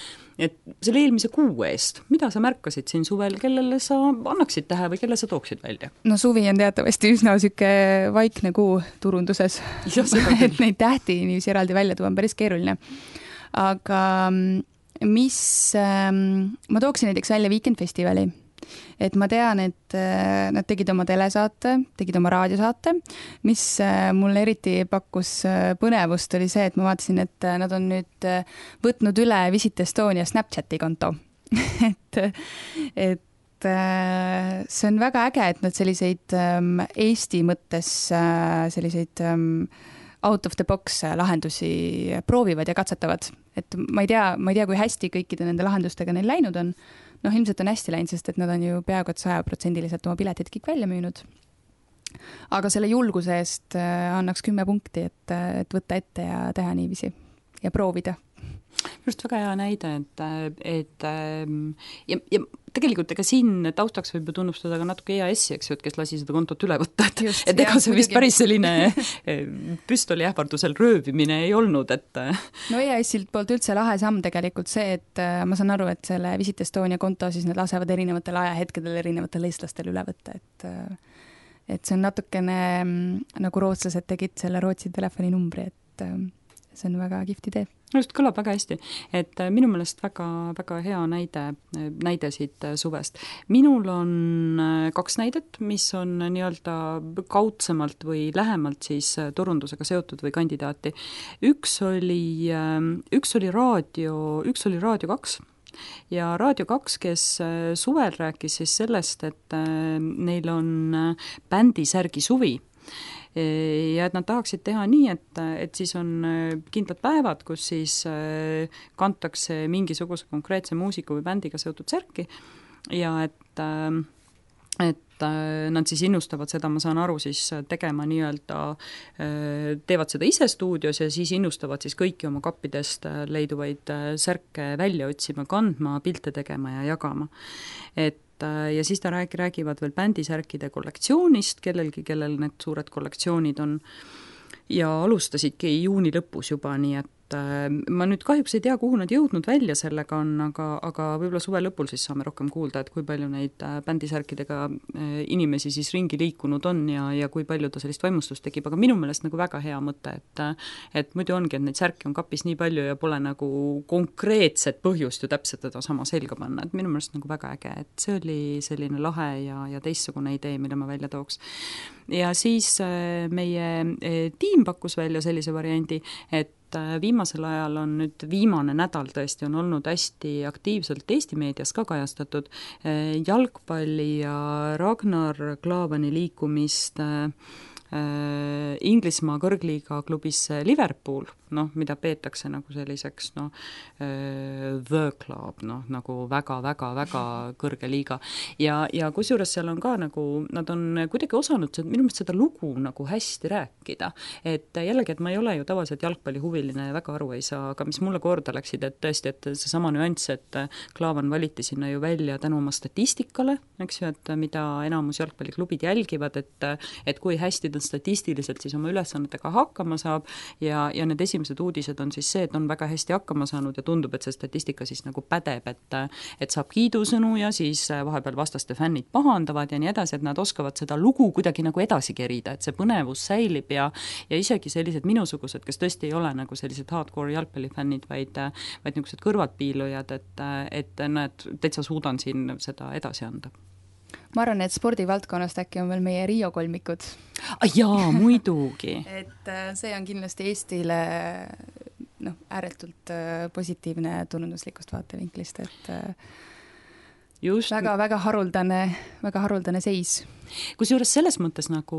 et selle eelmise kuu eest, mida sa märkasid siin suvel, kellele sa annaksid tähe või kelle sa tooksid välja? No suvi on teatavasti üsna süke vaikne kuu turunduses, et neid tähti niiviisi eraldi välja tuua on päris keeruline. Aga mis, ma tooksin näiteks välja Weekend Festivali. Et ma tean, et nad tegid oma telesaate, tegid oma raadiosaate, mis mulle eriti pakkus põnevust oli see, et ma vaatasin, et nad on nüüd võtnud üle Visit Estonia Snapchati konto. et, et see on väga äge, et nad selliseid Eesti mõttes selliseid out of the box lahendusi proovivad ja katsetavad. Et ma ei tea, ma ei tea, kui hästi kõikide nende lahendustega neil läinud on. Noh, ilmselt on hästi läinud, sest et nad on ju peaaegu et saja protsendiliselt oma piletid kõik välja müünud. Aga selle julguse eest annaks kümme punkti, et, et võtta ette ja teha niiviisi ja proovida. Just väga hea näide, et, et ja, ja tegelikult ega siin taustaks võib ju tunnustada ka natuke E A S-i, eks ju, et kes lasi seda kontot üle võtta, et, Just, et ega jah, see vist päris selline püstoli ähvardusel röövimine ei olnud, et no E A S-ilt poolt üldse lahe samm tegelikult see, et ma saan aru, et selle Visit Estonia konto siis need lasevad erinevatel ajahetkedel erinevatel eestlastel üle võtta, et et see on natukene nagu rootslased tegid selle Rootsi telefoninumbri, et see on väga kihvt idee. Just kõlab väga hästi, et minu meelest väga, väga hea näide, näide siit suvest. Minul on kaks näidet, mis on nii-öelda kaudsemalt või lähemalt siis turundusega seotud või kandidaati. Üks oli, üks oli raadio, üks oli Raadio kaks. Ja Raadio kaks, kes suvel rääkis siis sellest, et neil on bändisärgi suvi, ja et nad tahaksid teha nii, et, et siis on kindlad päevad, kus siis kantakse mingisuguse konkreetse muusiku või bändiga seotud särki ja et, et nad siis innustavad seda, ma saan aru, siis tegema nii-öelda, teevad seda ise stuudios ja siis innustavad siis kõiki oma kappidest leiduvaid särke välja otsima, kandma, pilte tegema ja jagama. Et ja siis ta räägi, räägivad veel bändisärkide kollektsioonist, kellelgi, kellel need suured kollektsioonid on ja alustasidki juuni lõpus juba, nii et ma nüüd kahjuks ei tea, kuhu nad jõudnud välja sellega on, aga, aga võib-olla suve lõpul siis saame rohkem kuulda, et kui palju neid bändisärkidega inimesi siis ringi liikunud on ja, ja kui palju ta sellist vaimustust tegib, aga minu meelest nagu väga hea mõte, et, et muidu ongi, et neid särki on kapis nii palju ja pole nagu konkreetset põhjust ju täpselt teda sama selga panna, et minu meelest nagu väga äge, et see oli selline lahe ja, ja teistsugune idee, mille ma välja tooks. Ja siis meie tiim pakkus välja sellise variandi, et viimasel ajal on nüüd viimane nädal tõesti on olnud hästi aktiivselt Eesti meedias ka kajastatud jalgpalli ja Ragnar Klavani liikumist Inglismaa kõrgliiga klubis Liverpool, noh, mida peetakse nagu selliseks noh, the club, noh, nagu väga-väga-väga kõrge liiga. Ja, ja kusjuures seal on ka nagu, nad on kuidagi osanud minu meelest seda lugu nagu hästi rääkida. Et jällegi, et ma ei ole ju tavaliselt jalgpallihuviline ja väga aru ei saa, aga mis mulle korda läksid, et tõesti, et see sama nüanss, et Klaavan valiti sinna ju välja tänu oma statistikale, eks ju, et mida enamus jalgpalliklubid jälgivad, et, et kui hästi ta statistiliselt siis oma ülesannetega hakkama saab ja, ja need esimesed uudised on siis see, et on väga hästi hakkama saanud ja tundub, et see statistika siis nagu pädeb, et, et saab kiidusõnu ja siis vahepeal vastaste fännid pahandavad ja nii edasi, et nad oskavad seda lugu kuidagi nagu edasi kerida, et see põnevus säilib ja, ja isegi sellised minusugused, kes tõesti ei ole nagu sellised hardcore jalgpallifännid, vaid, vaid niisugused kõrvaltpiilujad, et, et nad täitsa suudan siin seda edasi anda. Ma arvan, et spordivaldkonnast äkki on veel meie Rio kolmikud. Ah, jaa, muidugi. et see on kindlasti Eestile noh, ääretult positiivne tunnuslikust vaatevinklist, et just väga, väga haruldane, väga haruldane seis. Kusjuures selles mõttes nagu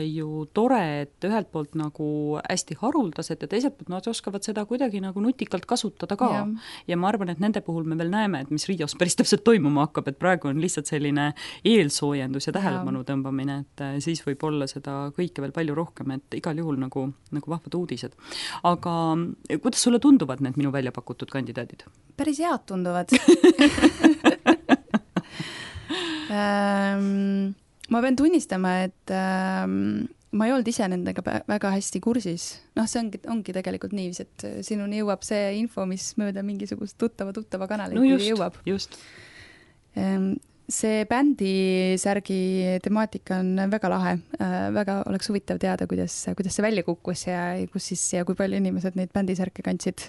ju tore, et ühelt poolt nagu hästi haruldased ja teiselt poolt nad oskavad seda kuidagi nagu nutikalt kasutada ka. Ja. ja ma arvan, et nende puhul me veel näeme, et mis Rios päris täpselt toimuma hakkab, et praegu on lihtsalt selline eelsoojendus ja tähelepanu tõmbamine, et siis võib olla seda kõike veel palju rohkem, et igal juhul nagu, nagu vahvad uudised. Aga kuidas sulle tunduvad need minu välja pakutud kandidaadid? Päris head tunduvad. ähm... Ma pean tunnistama, et ähm, ma ei olnud ise nendega väga hästi kursis. Noh, see ongi, ongi tegelikult nii, et sinuni jõuab see info, mis mööda mingisugust tuttava, tuttava kanalit no just, jõuab. Just. Ähm, see bändi särgi temaatika on väga lahe. Äh, väga oleks huvitav teada, kuidas, kuidas see välja kukkus ja, kus siis, ja kui palju inimesed neid bändisärke kandsid.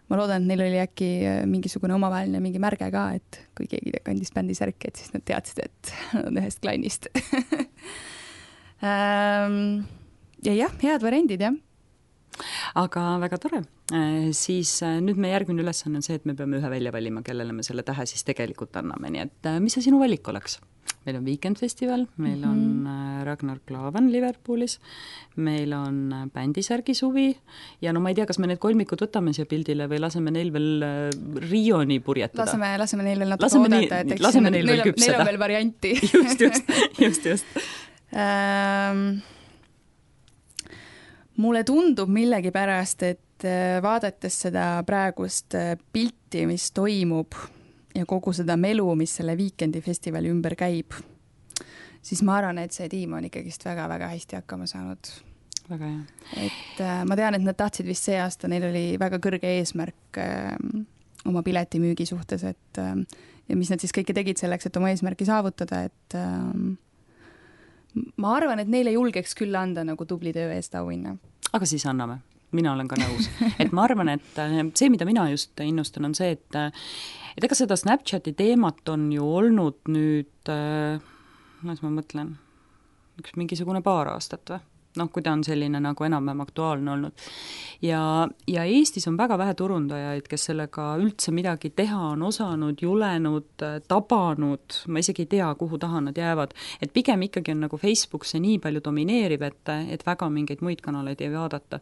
Ma loodan, et neil oli äkki mingisugune omavaheline mingi märge ka, et kui keegi kandis bändisärki, et siis nad teadsid, et on ühest klannist. ja jah, head variandid, jah. Aga väga tore. Siis nüüd me järgmine ülesanne on see, et me peame ühe välja valima, kellele me selle tähe siis tegelikult anname. Nii et mis see sinu valik oleks? Meil on Weekend Festival, meil on mm-hmm. Ragnar Klavan Liverpoolis, meil on bändisärgi suvi ja no ma ei tea, kas me need kolmikud võtame siia pildile või laseme neil veel Rioni purjetada. Laseme, laseme neil veel natuke laseme oodata, et eks laseme neil, neil, veel küpseda. Neil on veel varianti. just, just, just, just. ähm, mulle tundub millegipärast, et vaadates seda praegust pilti, mis toimub ja kogu seda melu, mis selle Weekendi festivali ümber käib, siis ma arvan, et see tiim on ikkagist väga-väga hästi hakkama saanud. Väga hea. Et äh, ma tean, et nad tahtsid vist see aasta, neil oli väga kõrge eesmärk äh, oma piletimüügi suhtes, et äh, ja mis nad siis kõike tegid selleks, et oma eesmärki saavutada, et äh, ma arvan, et neile julgeks küll anda nagu tubli töö eest auhinna. Aga siis anname. Mina olen ka nõus. Et ma arvan, et see, mida mina just innustan, on see, et, et ega seda Snapchati teemat on ju olnud nüüd, kuidas ma mõtlen, üks mingisugune paar aastat või? Noh, kui ta on selline nagu enam-vähem aktuaalne olnud. Ja, ja Eestis on väga vähe turundajaid, kes sellega üldse midagi teha on osanud, julenud, tabanud, ma isegi ei tea, kuhu taha nad jäävad. Et pigem ikkagi on nagu Facebook see nii palju domineerib, et, et väga mingeid muid kanaleid ei vaadata.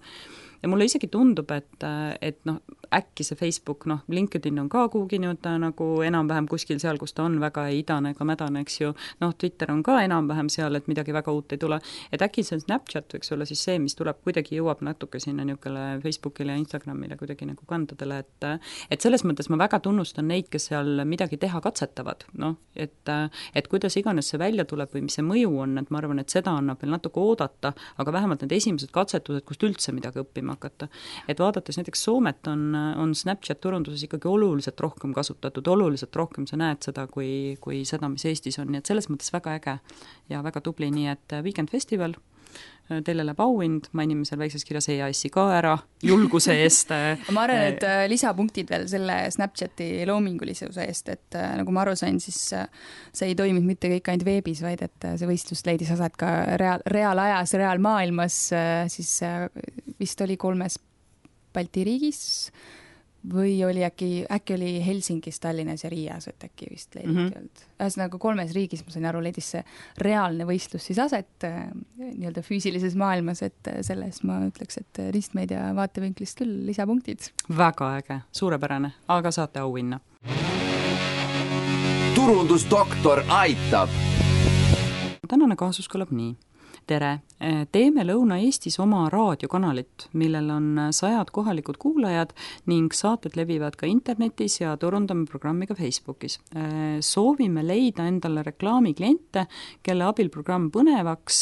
Ja mulle isegi tundub, et, et noh, äkki see Facebook, noh, LinkedIn on ka kuhugi nii-öelda nagu enam-vähem kuskil seal, kus ta on väga ei idane ega mädane, eks ju, noh, Twitter on ka enam-vähem seal, et midagi väga uut ei tule, et äkki see Snapchat võiks olla siis see, mis tuleb, kuidagi jõuab natuke sinna niukele Facebookile ja Instagramile kuidagi nagu kandadele, et et selles mõttes ma väga tunnustan neid, kes seal midagi teha katsetavad, noh, et, et kuidas iganes see välja tuleb või mis see mõju on, et ma arvan, et seda annab veel natuke oodata, aga vähemalt need esimesed katsetused, kust üldse midagi õppima hakata. Et vaadates näiteks Soomet on, on Snapchat turunduses ikkagi oluliselt rohkem kasutatud, oluliselt rohkem sa näed seda kui, kui seda, mis Eestis on, nii et selles mõttes väga äge ja väga tubli, nii et Weekend Festival, teile läheb auhind, mainime seal väikses kirjas E A S-i ka ära, julguse eest. ma arvan, et lisapunktid veel selle Snapchati loomingulisuse eest, et nagu ma aru sain, siis see ei toiminud mitte kõik ainult veebis, vaid et see võistlus leidis aset ka reaal, reaalajas, reaalmaailmas, siis vist oli kolmes Balti riigis, või oli äkki, äkki oli Helsingis, Tallinnas ja Riias, et äkki vist leiditi mm -hmm. ühesõnaga kolmes riigis, ma sain aru, leidis see reaalne võistlus siis aset äh, nii-öelda füüsilises maailmas, et selles ma ütleks, et ristmeedia vaatevinklist küll lisapunktid. Väga äge, suurepärane, aga saate auhinna. turundusdoktor aitab. Tänane kaasus kõlab nii. Tere, teeme Lõuna-Eestis oma raadiokanalit, millel on sajad kohalikud kuulajad ning saated levivad ka internetis ja turundame programmi ka Facebookis. Soovime leida endale reklaamikliente, kelle abil programm põnevaks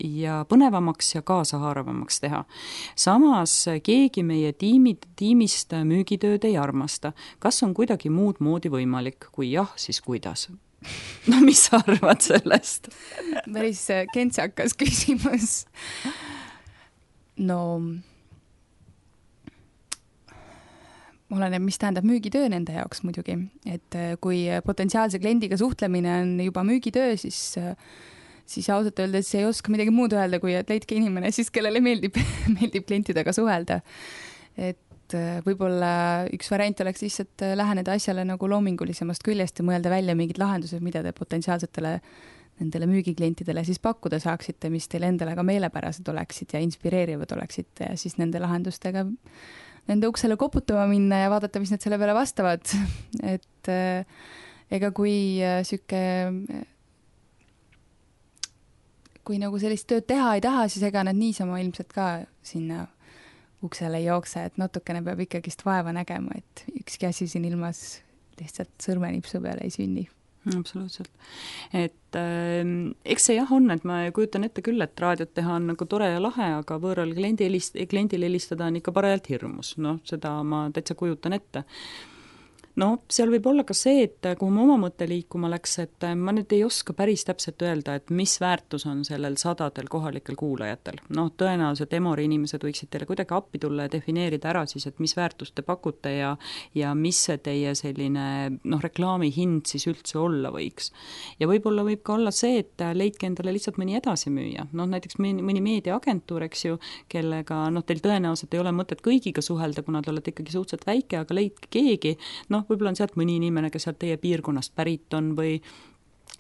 ja põnevamaks ja kaasahaaravamaks teha. Samas keegi meie tiimid, tiimist müügitööd ei armasta. Kas on kuidagi muud moodi võimalik? Kui jah, siis kuidas? No mis sa arvad sellest? Päris kentsakas küsimus. No oleneb, mis tähendab müügitöö nende jaoks muidugi. Et kui potentsiaalse kliendiga suhtlemine on juba müügitöö, siis, siis ausalt öeldes ei oska midagi muud öelda, kui et leidke inimene siis, kellele meeldib, meeldib klientidega suhelda. Et võib-olla üks variant oleks lihtsalt läheneda asjale nagu loomingulisemast küljest ja mõelda välja mingid lahendused, mida te potentsiaalsetele nendele müügiklientidele siis pakkuda saaksite, mis teile endale ka meelepärased oleksid ja inspireerivad oleksid ja siis nende lahendustega nende uksele koputama minna ja vaadata, mis nad selle peale vastavad. Et ega kui süke kui nagu sellist tööd teha ei taha, siis ega nad niisama ilmselt ka sinna uksele ei jookse, et natukene peab ikkagist vaeva nägema, et ükski asi siin ilmas lihtsalt sõrmenipsu peale ei sünni. Absoluutselt. Et äh, eks see jah on, et ma kujutan ette küll, et raadiot teha on nagu tore ja lahe, aga võõral kliendi helist, kliendile helistada on ikka parajalt hirmus. No seda ma täitsa kujutan ette. No seal võib olla ka see, et kuhu ma oma mõtte liikuma läks, et ma nüüd ei oska päris täpselt öelda, et mis väärtus on sellel sadadel kohalikel kuulajatel. No tõenäoliselt Emori inimesed võiksid teile kuidagi appi tulla ja defineerida ära siis, et mis väärtust te pakute ja, ja mis see teie selline noh, reklaami hind siis üldse olla võiks. Ja võib-olla võib ka olla see, et leidke endale lihtsalt mõni edasimüüja. Noh, näiteks mõni meediaagentuur, eks ju, kellega noh, teil tõenäoliselt ei ole mõtet kõigiga suhelda, kuna te olete ikkagi suhteliselt väike, aga leidke keegi, noh, võib-olla on sealt mõni inimene, kes sealt teie piirkonnast pärit on või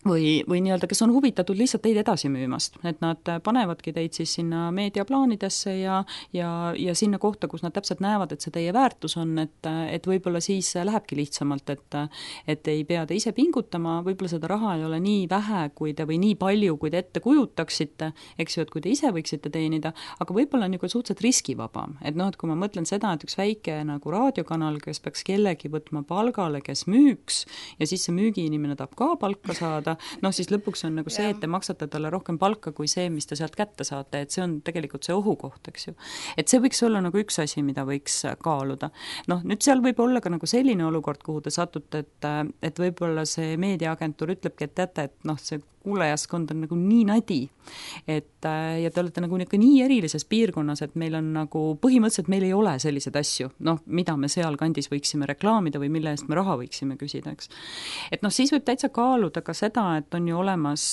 või, või nii-öelda, kes on huvitatud lihtsalt teid edasi müümast, et nad panevadki teid siis sinna meediaplaanidesse ja, ja, ja sinna kohta, kus nad täpselt näevad, et see teie väärtus on, et, et võib-olla siis lähebki lihtsamalt, et, et ei pea te ise pingutama, võib-olla seda raha ei ole nii vähe kui te, või nii palju, kui te ette kujutaksite, eks ju, et kui te ise võiksite teenida, aga võib-olla on nagu suhteliselt riskivabam, et noh, et kui ma mõtlen seda, et üks väike nagu raadiokanal, kes peaks kellegi võtma palgale, kes müüks ja siis see müügiinimene tahab ka palka saada, noh, siis lõpuks on nagu see, et te maksate talle rohkem palka kui see, mis te sealt kätte saate, et see on tegelikult see ohukoht, eks ju. Et see võiks olla nagu üks asi, mida võiks kaaluda. Noh, nüüd seal võib olla ka nagu selline olukord, kuhu te satute, et, et võib-olla see meediaagentuur ütlebki, et teate, et noh, see kuulajaskond on nagu nii nadi, et ja te olete nagu nii erilises piirkonnas, et meil on nagu põhimõtteliselt meil ei ole selliseid asju, noh, mida me seal kandis võiksime reklaamida või mille eest me raha võiksime küsida, eks. Et noh, siis võib täitsa kaaluda ka seda, et on ju olemas,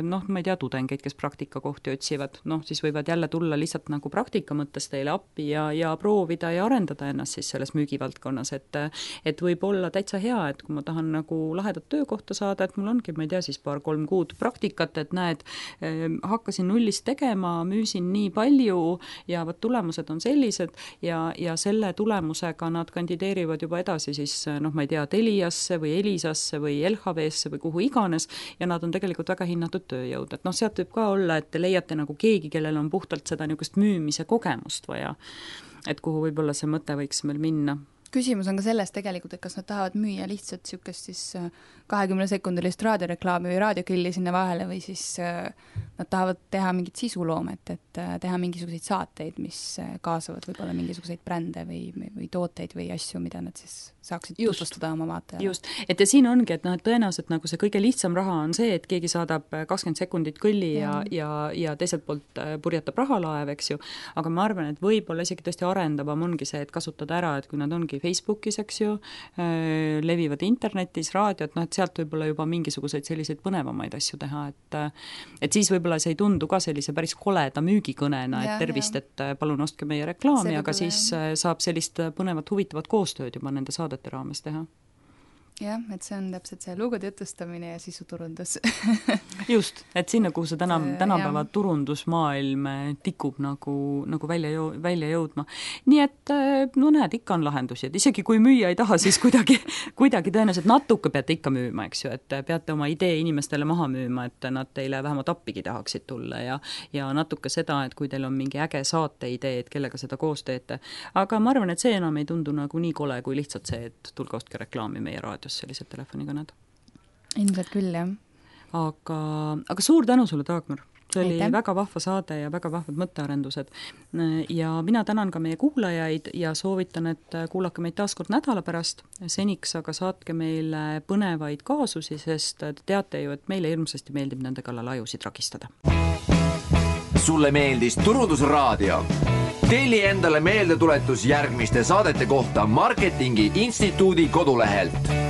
noh, ma ei tea, tudengeid, kes praktikakohti otsivad, noh, siis võivad jälle tulla lihtsalt nagu praktika mõttes teile appi ja, ja proovida ja arendada ennast siis selles müügivaldkonnas, et, et võib olla täitsa hea, et kui ma tahan nagu lahedat töökohta saada, et mul ongi, ma ei tea, siis paar-kolm kuud praktikat, et näed, hakkasin nullist tegema, müüsin nii palju ja võt tulemused on sellised ja, ja selle tulemusega nad kandideerivad juba edasi siis, noh, ma ei tea, Teliasse või Elisasse või L H V-sse või kuhu iganes ja nad on tegelikult väga hinnatud tööjõud, et noh, sealt võib ka olla, et te leiate nagu keegi, kellel on puhtalt seda niisugust müümise kogemust vaja, et kuhu võib-olla see mõte võiks meil minna. Küsimus on ka selles tegelikult, et kas nad tahavad müüa lihtsalt niisugust siis kahekümne sekundilist raadioreklaami või raadiokilli sinna vahele või siis nad tahavad teha mingit sisuloomet, et teha mingisuguseid saateid, mis kaasavad võib-olla mingisuguseid brände või, või tooteid või asju, mida nad siis saaksid just tutvustada oma vaatajale. Just, et ja siin ongi, et noh, et tõenäoliselt nagu see kõige lihtsam raha on see, et keegi saadab kakskümmend sekundit kõlli ja, ja, ja teiselt poolt purjatab rahalaev, eks ju, aga ma arvan, et võib-olla isegi tõesti arendavam ongi see, et kasutada ära, et kui nad ongi isegi Facebookis, eks ju, levivad internetis, raadiot, noh, et sealt võib-olla juba mingisuguseid selliseid põnevamaid asju teha, et et siis võib-olla see ei tundu ka sellise päris koleda müügikõnena, et tervist, et palun ostke meie reklaami, aga siis saab sellist põnevat, huvitavat koostööd juba nende saadete raames teha. Jah, et see on täpselt see lugude jutustamine ja sisuturundus. Just, et sinna, kuhu see täna, tänapäeva jah. Turundusmaailm tikub nagu, nagu välja, jõu, välja jõudma. Nii et, no näed, ikka on lahendusi, et isegi kui müüa ei taha, siis kuidagi, kuidagi tõenäoliselt natuke peate ikka müüma, eks ju, et peate oma idee inimestele maha müüma, et nad teile vähemalt appigi tahaksid tulla ja, ja natuke seda, et kui teil on mingi äge saate idee, et kellega seda koos teete. Aga ma arvan, et see enam ei tundu nagu nii kole, kui lihtsalt see, et tulge ostke reklaami meie raadios sellised telefonikõned. Ilmselt küll, jah. Aga, aga suur tänu sulle, Taagmar. See oli Aitäh. Väga vahva saade ja väga vahvad mõttearendused. Ja mina tänan ka meie kuulajaid ja soovitan, et kuulake meid taas kord nädala pärast. Seniks aga saatke meile põnevaid kaasusi, sest te teate ju, et meile hirmsasti meeldib nende kallal ajusid ragistada. Sulle meeldis Turundusraadio? Telli endale meeldetuletus järgmiste saadete kohta Marketingi Instituudi kodulehelt.